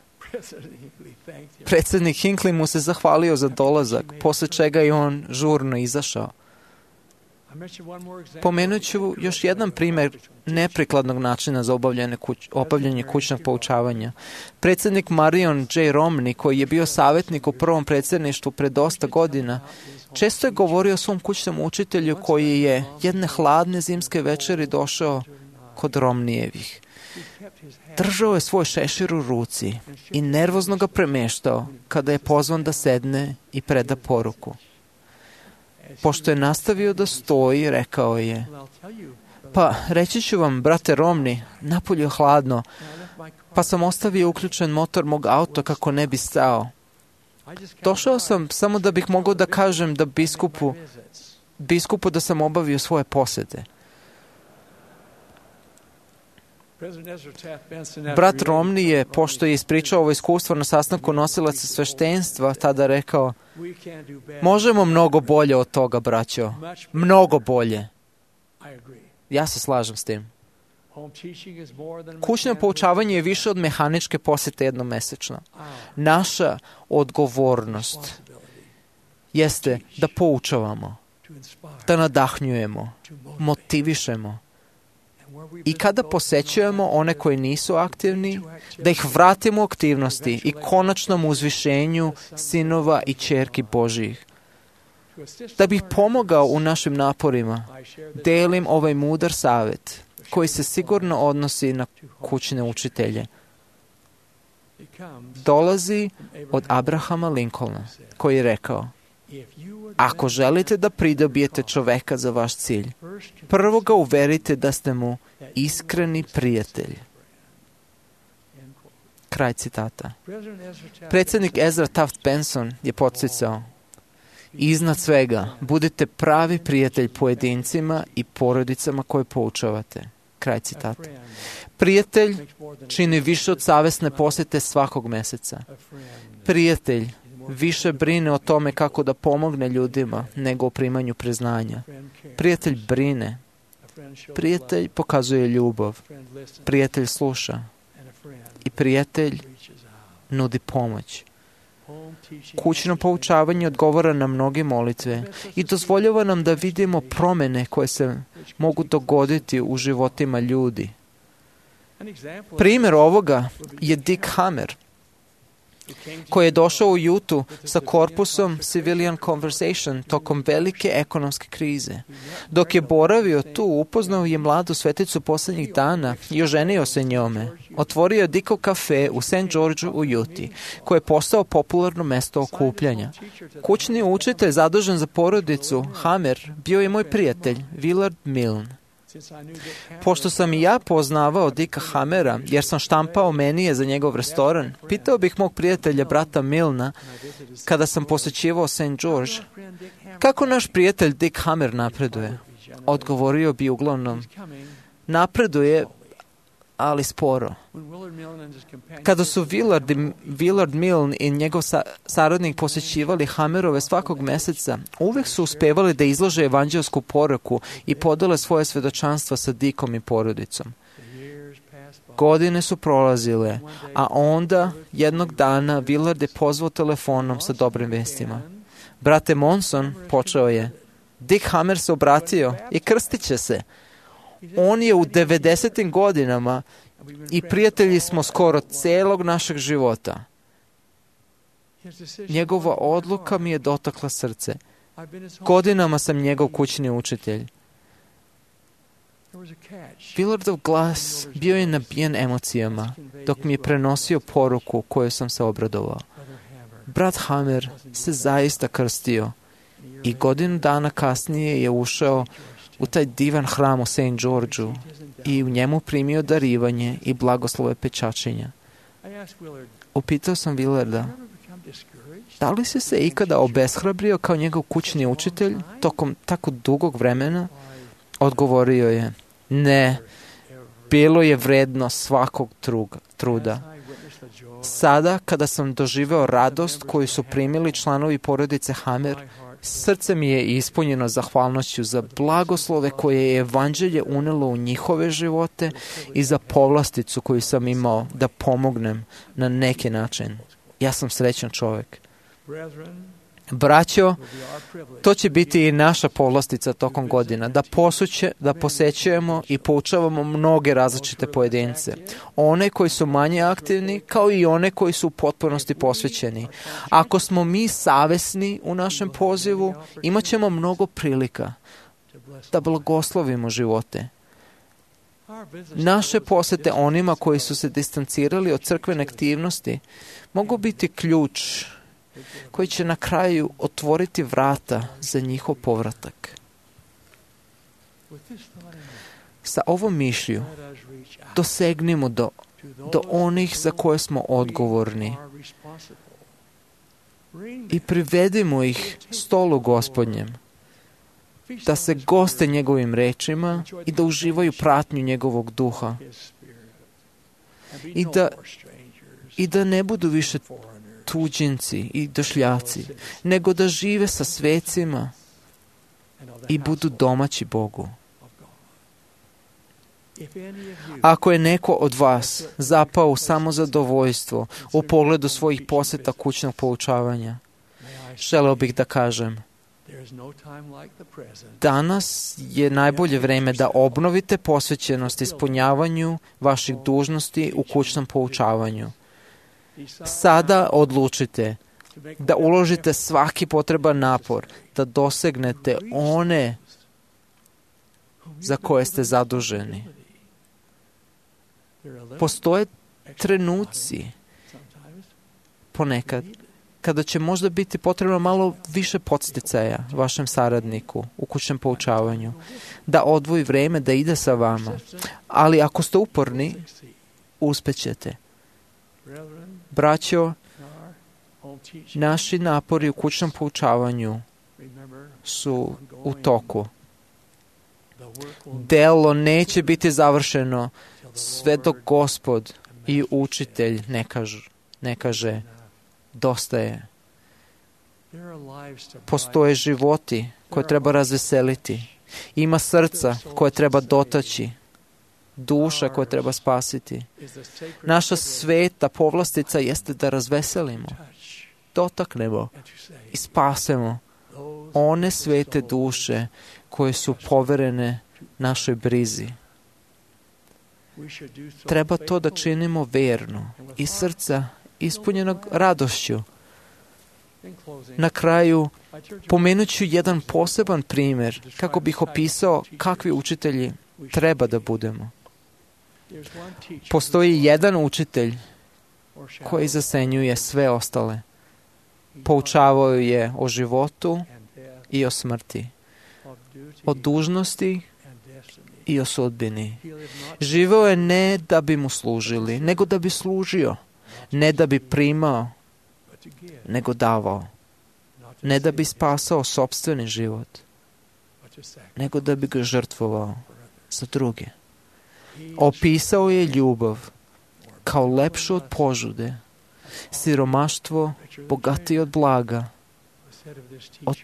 Predsjednik Hinckley mu se zahvalio za dolazak, posle čega je on žurno izašao. Pomenut ću još jedan primjer neprikladnog načina za obavljanje kućnog poučavanja. Predsjednik Marion J. Romney, koji je bio savjetnik u prvom predsjedništvu pre dosta godina, često je govorio o svom kućnom učitelju koji je jedne hladne zimske večeri došao kod Romneyjevih. Držao je svoj šešir u ruci i nervozno ga premještao kada je pozvan da sedne i preda poruku. Pošto je nastavio da stoji, rekao je: "Pa, reći ću vam, brate Romney, napolju je hladno, pa sam ostavio uključen motor mog auta kako ne bi stao. Došao sam samo da bih mogao da kažem da biskupu da sam obavio svoje posete." Brat Romney je, pošto je ispričao ovo iskustvo na sastanku nosilaca sveštenstva, tada rekao: "Možemo mnogo bolje od toga, braćo. Mnogo bolje." Ja se slažem s tim. Kućno poučavanje je više od mehaničke posjete jednomesečno. Naša odgovornost jeste da poučavamo, da nadahnjujemo, motivišemo. I kada posećujemo one koji nisu aktivni, da ih vratimo u aktivnosti i konačnom uzvišenju sinova i ćerki Božjih. Da bih pomogao u našim naporima, delim ovaj mudar savjet koji se sigurno odnosi na kućne učitelje. Dolazi od Abrahama Lincolna, koji je rekao: "Ako želite da pridobijete čoveka za vaš cilj, prvo ga uverite da ste mu iskreni prijatelj." Kraj citata. Predsjednik Ezra Taft Benson je podsticao: "Iznad svega, budite pravi prijatelj pojedincima i porodicama koje poučavate." Kraj citata. Prijatelj čini više od savjesne posjete svakog mjeseca. Prijatelj više brine o tome kako da pomogne ljudima nego o primanju priznanja. Prijatelj brine. Prijatelj pokazuje ljubav. Prijatelj sluša. I prijatelj nudi pomoć. Kućno poučavanje odgovara na mnoge molitve i dozvoljava nam da vidimo promjene koje se mogu dogoditi u životima ljudi. Primjer ovoga je Dick Hammer, koji je došao u Jutu sa korpusom Civilian Conversation tokom velike ekonomske krize. Dok je boravio tu, upoznao je mladu sveticu posljednjih dana i oženio se njome. Otvorio je Dickov kafe u St. Georgeu u Juti, koje je postao popularno mesto okupljanja. Kućni učitelj zadužen za porodicu, Hammer, bio je moj prijatelj, Willard Milne. Pošto sam i ja poznavao Dicka Hammera, jer sam štampao menije za njegov restoran, pitao bih mog prijatelja, brata Milna, kada sam posjećivao St. George: "Kako naš prijatelj Dick Hammer napreduje?" Odgovorio bi uglavnom: "Napreduje, ali sporo." Kada su Willard Milne i njegov saradnik posjećivali Hammerove svakog mjeseca, uvijek su uspevali da izlože evanđelsku poruku i podele svoje svjedočanstva sa Dickom i porodicom. Godine su prolazile, a onda jednog dana Willard je pozvao telefonom sa dobrim vestima. "Brate Monson," počeo je, "Dick Hammer se obratio i krstit će se. On je u 90. godinama i prijatelji smo skoro celog našeg života. Njegova odluka mi je dotakla srce. Godinama sam njegov kućni učitelj." Willardov glas bio je nabijen emocijama dok mi je prenosio poruku koju sam se obradovao. Brat Hammer se zaista krstio i godinu dana kasnije je ušao u taj divan hram u St. Georgeu i u njemu primio darivanje i blagoslove pečačenja. Upitao sam Willarda: "Da li si se ikada obeshrabrio kao njegov kućni učitelj tokom tako dugog vremena?" Odgovorio je: "Ne, bilo je vredno svakog truda. Sada, kada sam doživeo radost koju su primili članovi porodice Hammer, Srce mi je ispunjeno zahvalnošću za blagoslove koje je evanđelje unelo u njihove živote i za povlasticu koju sam imao da pomognem na neki način. Ja sam srećan čovjek. Braćo, to će biti i naša povlastica tokom godina, da posećujemo i poučavamo mnoge različite pojedince. One koji su manje aktivni, kao i one koji su u potpunosti posvećeni. Ako smo mi savesni u našem pozivu, imat ćemo mnogo prilika da blagoslovimo živote. Naše posete onima koji su se distancirali od crkvene aktivnosti mogu biti ključ koji će na kraju otvoriti vrata za njihov povratak. Sa ovom mišlju dosegnimo do onih za koje smo odgovorni i privedimo ih stolu Gospodnjem, da se goste njegovim rečima i da uživaju pratnju njegovog duha i da ne budu više tuđinci i došljaci, nego da žive sa svecima i budu domaći Bogu. Ako je neko od vas zapao u samozadovoljstvo u pogledu svojih poseta kućnog poučavanja, želeo bih da kažem, danas je najbolje vreme da obnovite posvećenost ispunjavanju vaših dužnosti u kućnom poučavanju. Sada odlučite da uložite svaki potreban napor da dosegnete one za koje ste zaduženi. Postoje trenuci ponekad kada će možda biti potrebno malo više podsticaja vašem saradniku u kućnom poučavanju, da odvoji vreme da ide sa vama. Ali ako ste uporni, uspećete. Braćo, naši napori u kućnom poučavanju su u toku. Delo neće biti završeno sve dok Gospod i učitelj ne kaže dosta je. Postoje životi koje treba razveseliti. Ima srca koje treba dotaći. Duša koje treba spasiti. Naša sveta povlastica jeste da razveselimo, dotaknemo i spasemo one svete duše koje su poverene našoj brizi. Treba to da činimo verno i srca ispunjenog radošću. Na kraju, pomenut ću jedan poseban primjer kako bih opisao kakvi učitelji treba da budemo. Postoji jedan učitelj koji zasenjuje sve ostale. Poučavao je o životu i o smrti, o dužnosti i o sudbini. Živeo je ne da bi mu služili, nego da bi služio. Ne da bi primao, nego davao. Ne da bi spasao sopstveni život, nego da bi ga žrtvovao za druge. Opisao je ljubav kao lepšu od požude, siromaštvo bogatije od blaga. O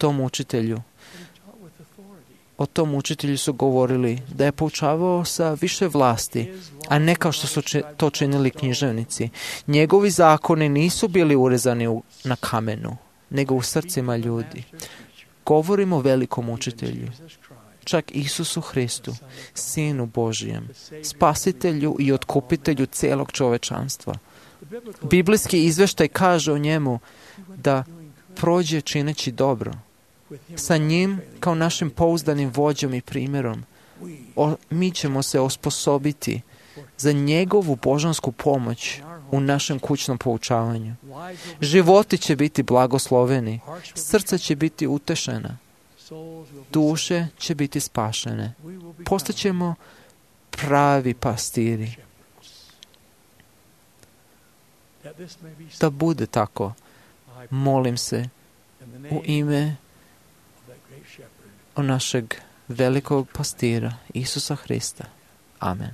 tom učitelju su govorili da je poučavao sa više vlasti, a ne kao što su to činili književnici. Njegovi zakoni nisu bili urezani na kamenu, nego u srcima ljudi. Govorimo o velikom učitelju, čak Isusu Hristu, Sinu Božijem, Spasitelju i Otkupitelju cijelog čovečanstva. Biblijski izveštaj kaže o njemu da prođe čineći dobro. Sa njim, kao našim pouzdanim vođom i primjerom, mi ćemo se osposobiti za njegovu božansku pomoć u našem kućnom poučavanju. Životi će biti blagosloveni, srca će biti utešena, duše će biti spašene. Postaćemo pravi pastiri. Da bude tako, molim se u ime našeg velikog pastira Isusa Hrista. Amen.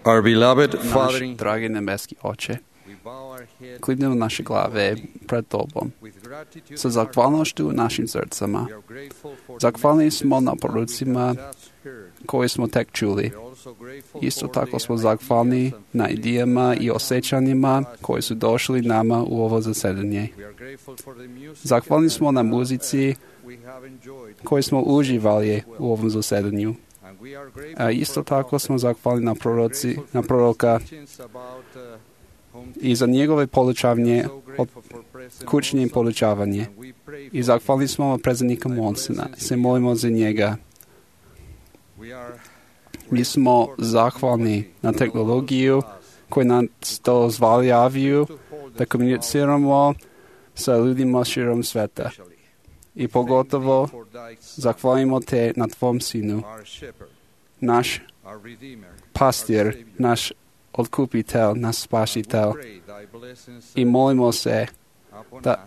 Our beloved Naš Father, dragi nebeski Oče, klibnemo naše glave pred Tobom sa zahvalnošću u našim srcama. Zahvalni smo na porucima koje smo tek čuli. Isto tako smo zahvalni na idejama i osjećanjima koji su došli nama u ovo zasedanje. Zahvalni smo na muzici koju smo uživali u ovom zasedanju. A isto tako smo zahvalni na proroka i za njegove podučavanje, kućnje podučavanje. I zahvalni smo predsjednika Monsena. Se molimo za njega. Mi smo zahvalni na tehnologiju koju nam to dozvoljavaju da komuniciramo sa ljudima širom sveta. I pogotovo zahvalimo te na Tvom Sinu, naš pastir, naš otkupitelj, naš spasitelj. I molimo se da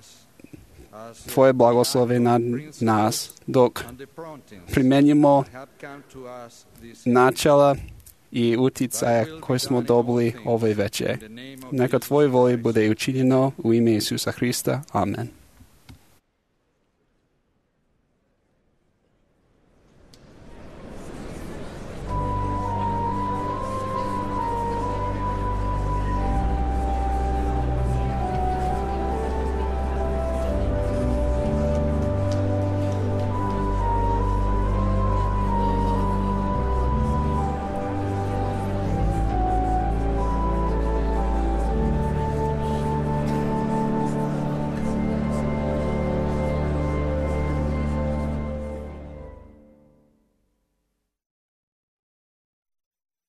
Tvoje blagoslove nad nas dok primjenjujemo načela i uticaja koje smo dobili ove večer. Neka Tvoje volje bude učinjeno u ime Isusa Hrista. Amen.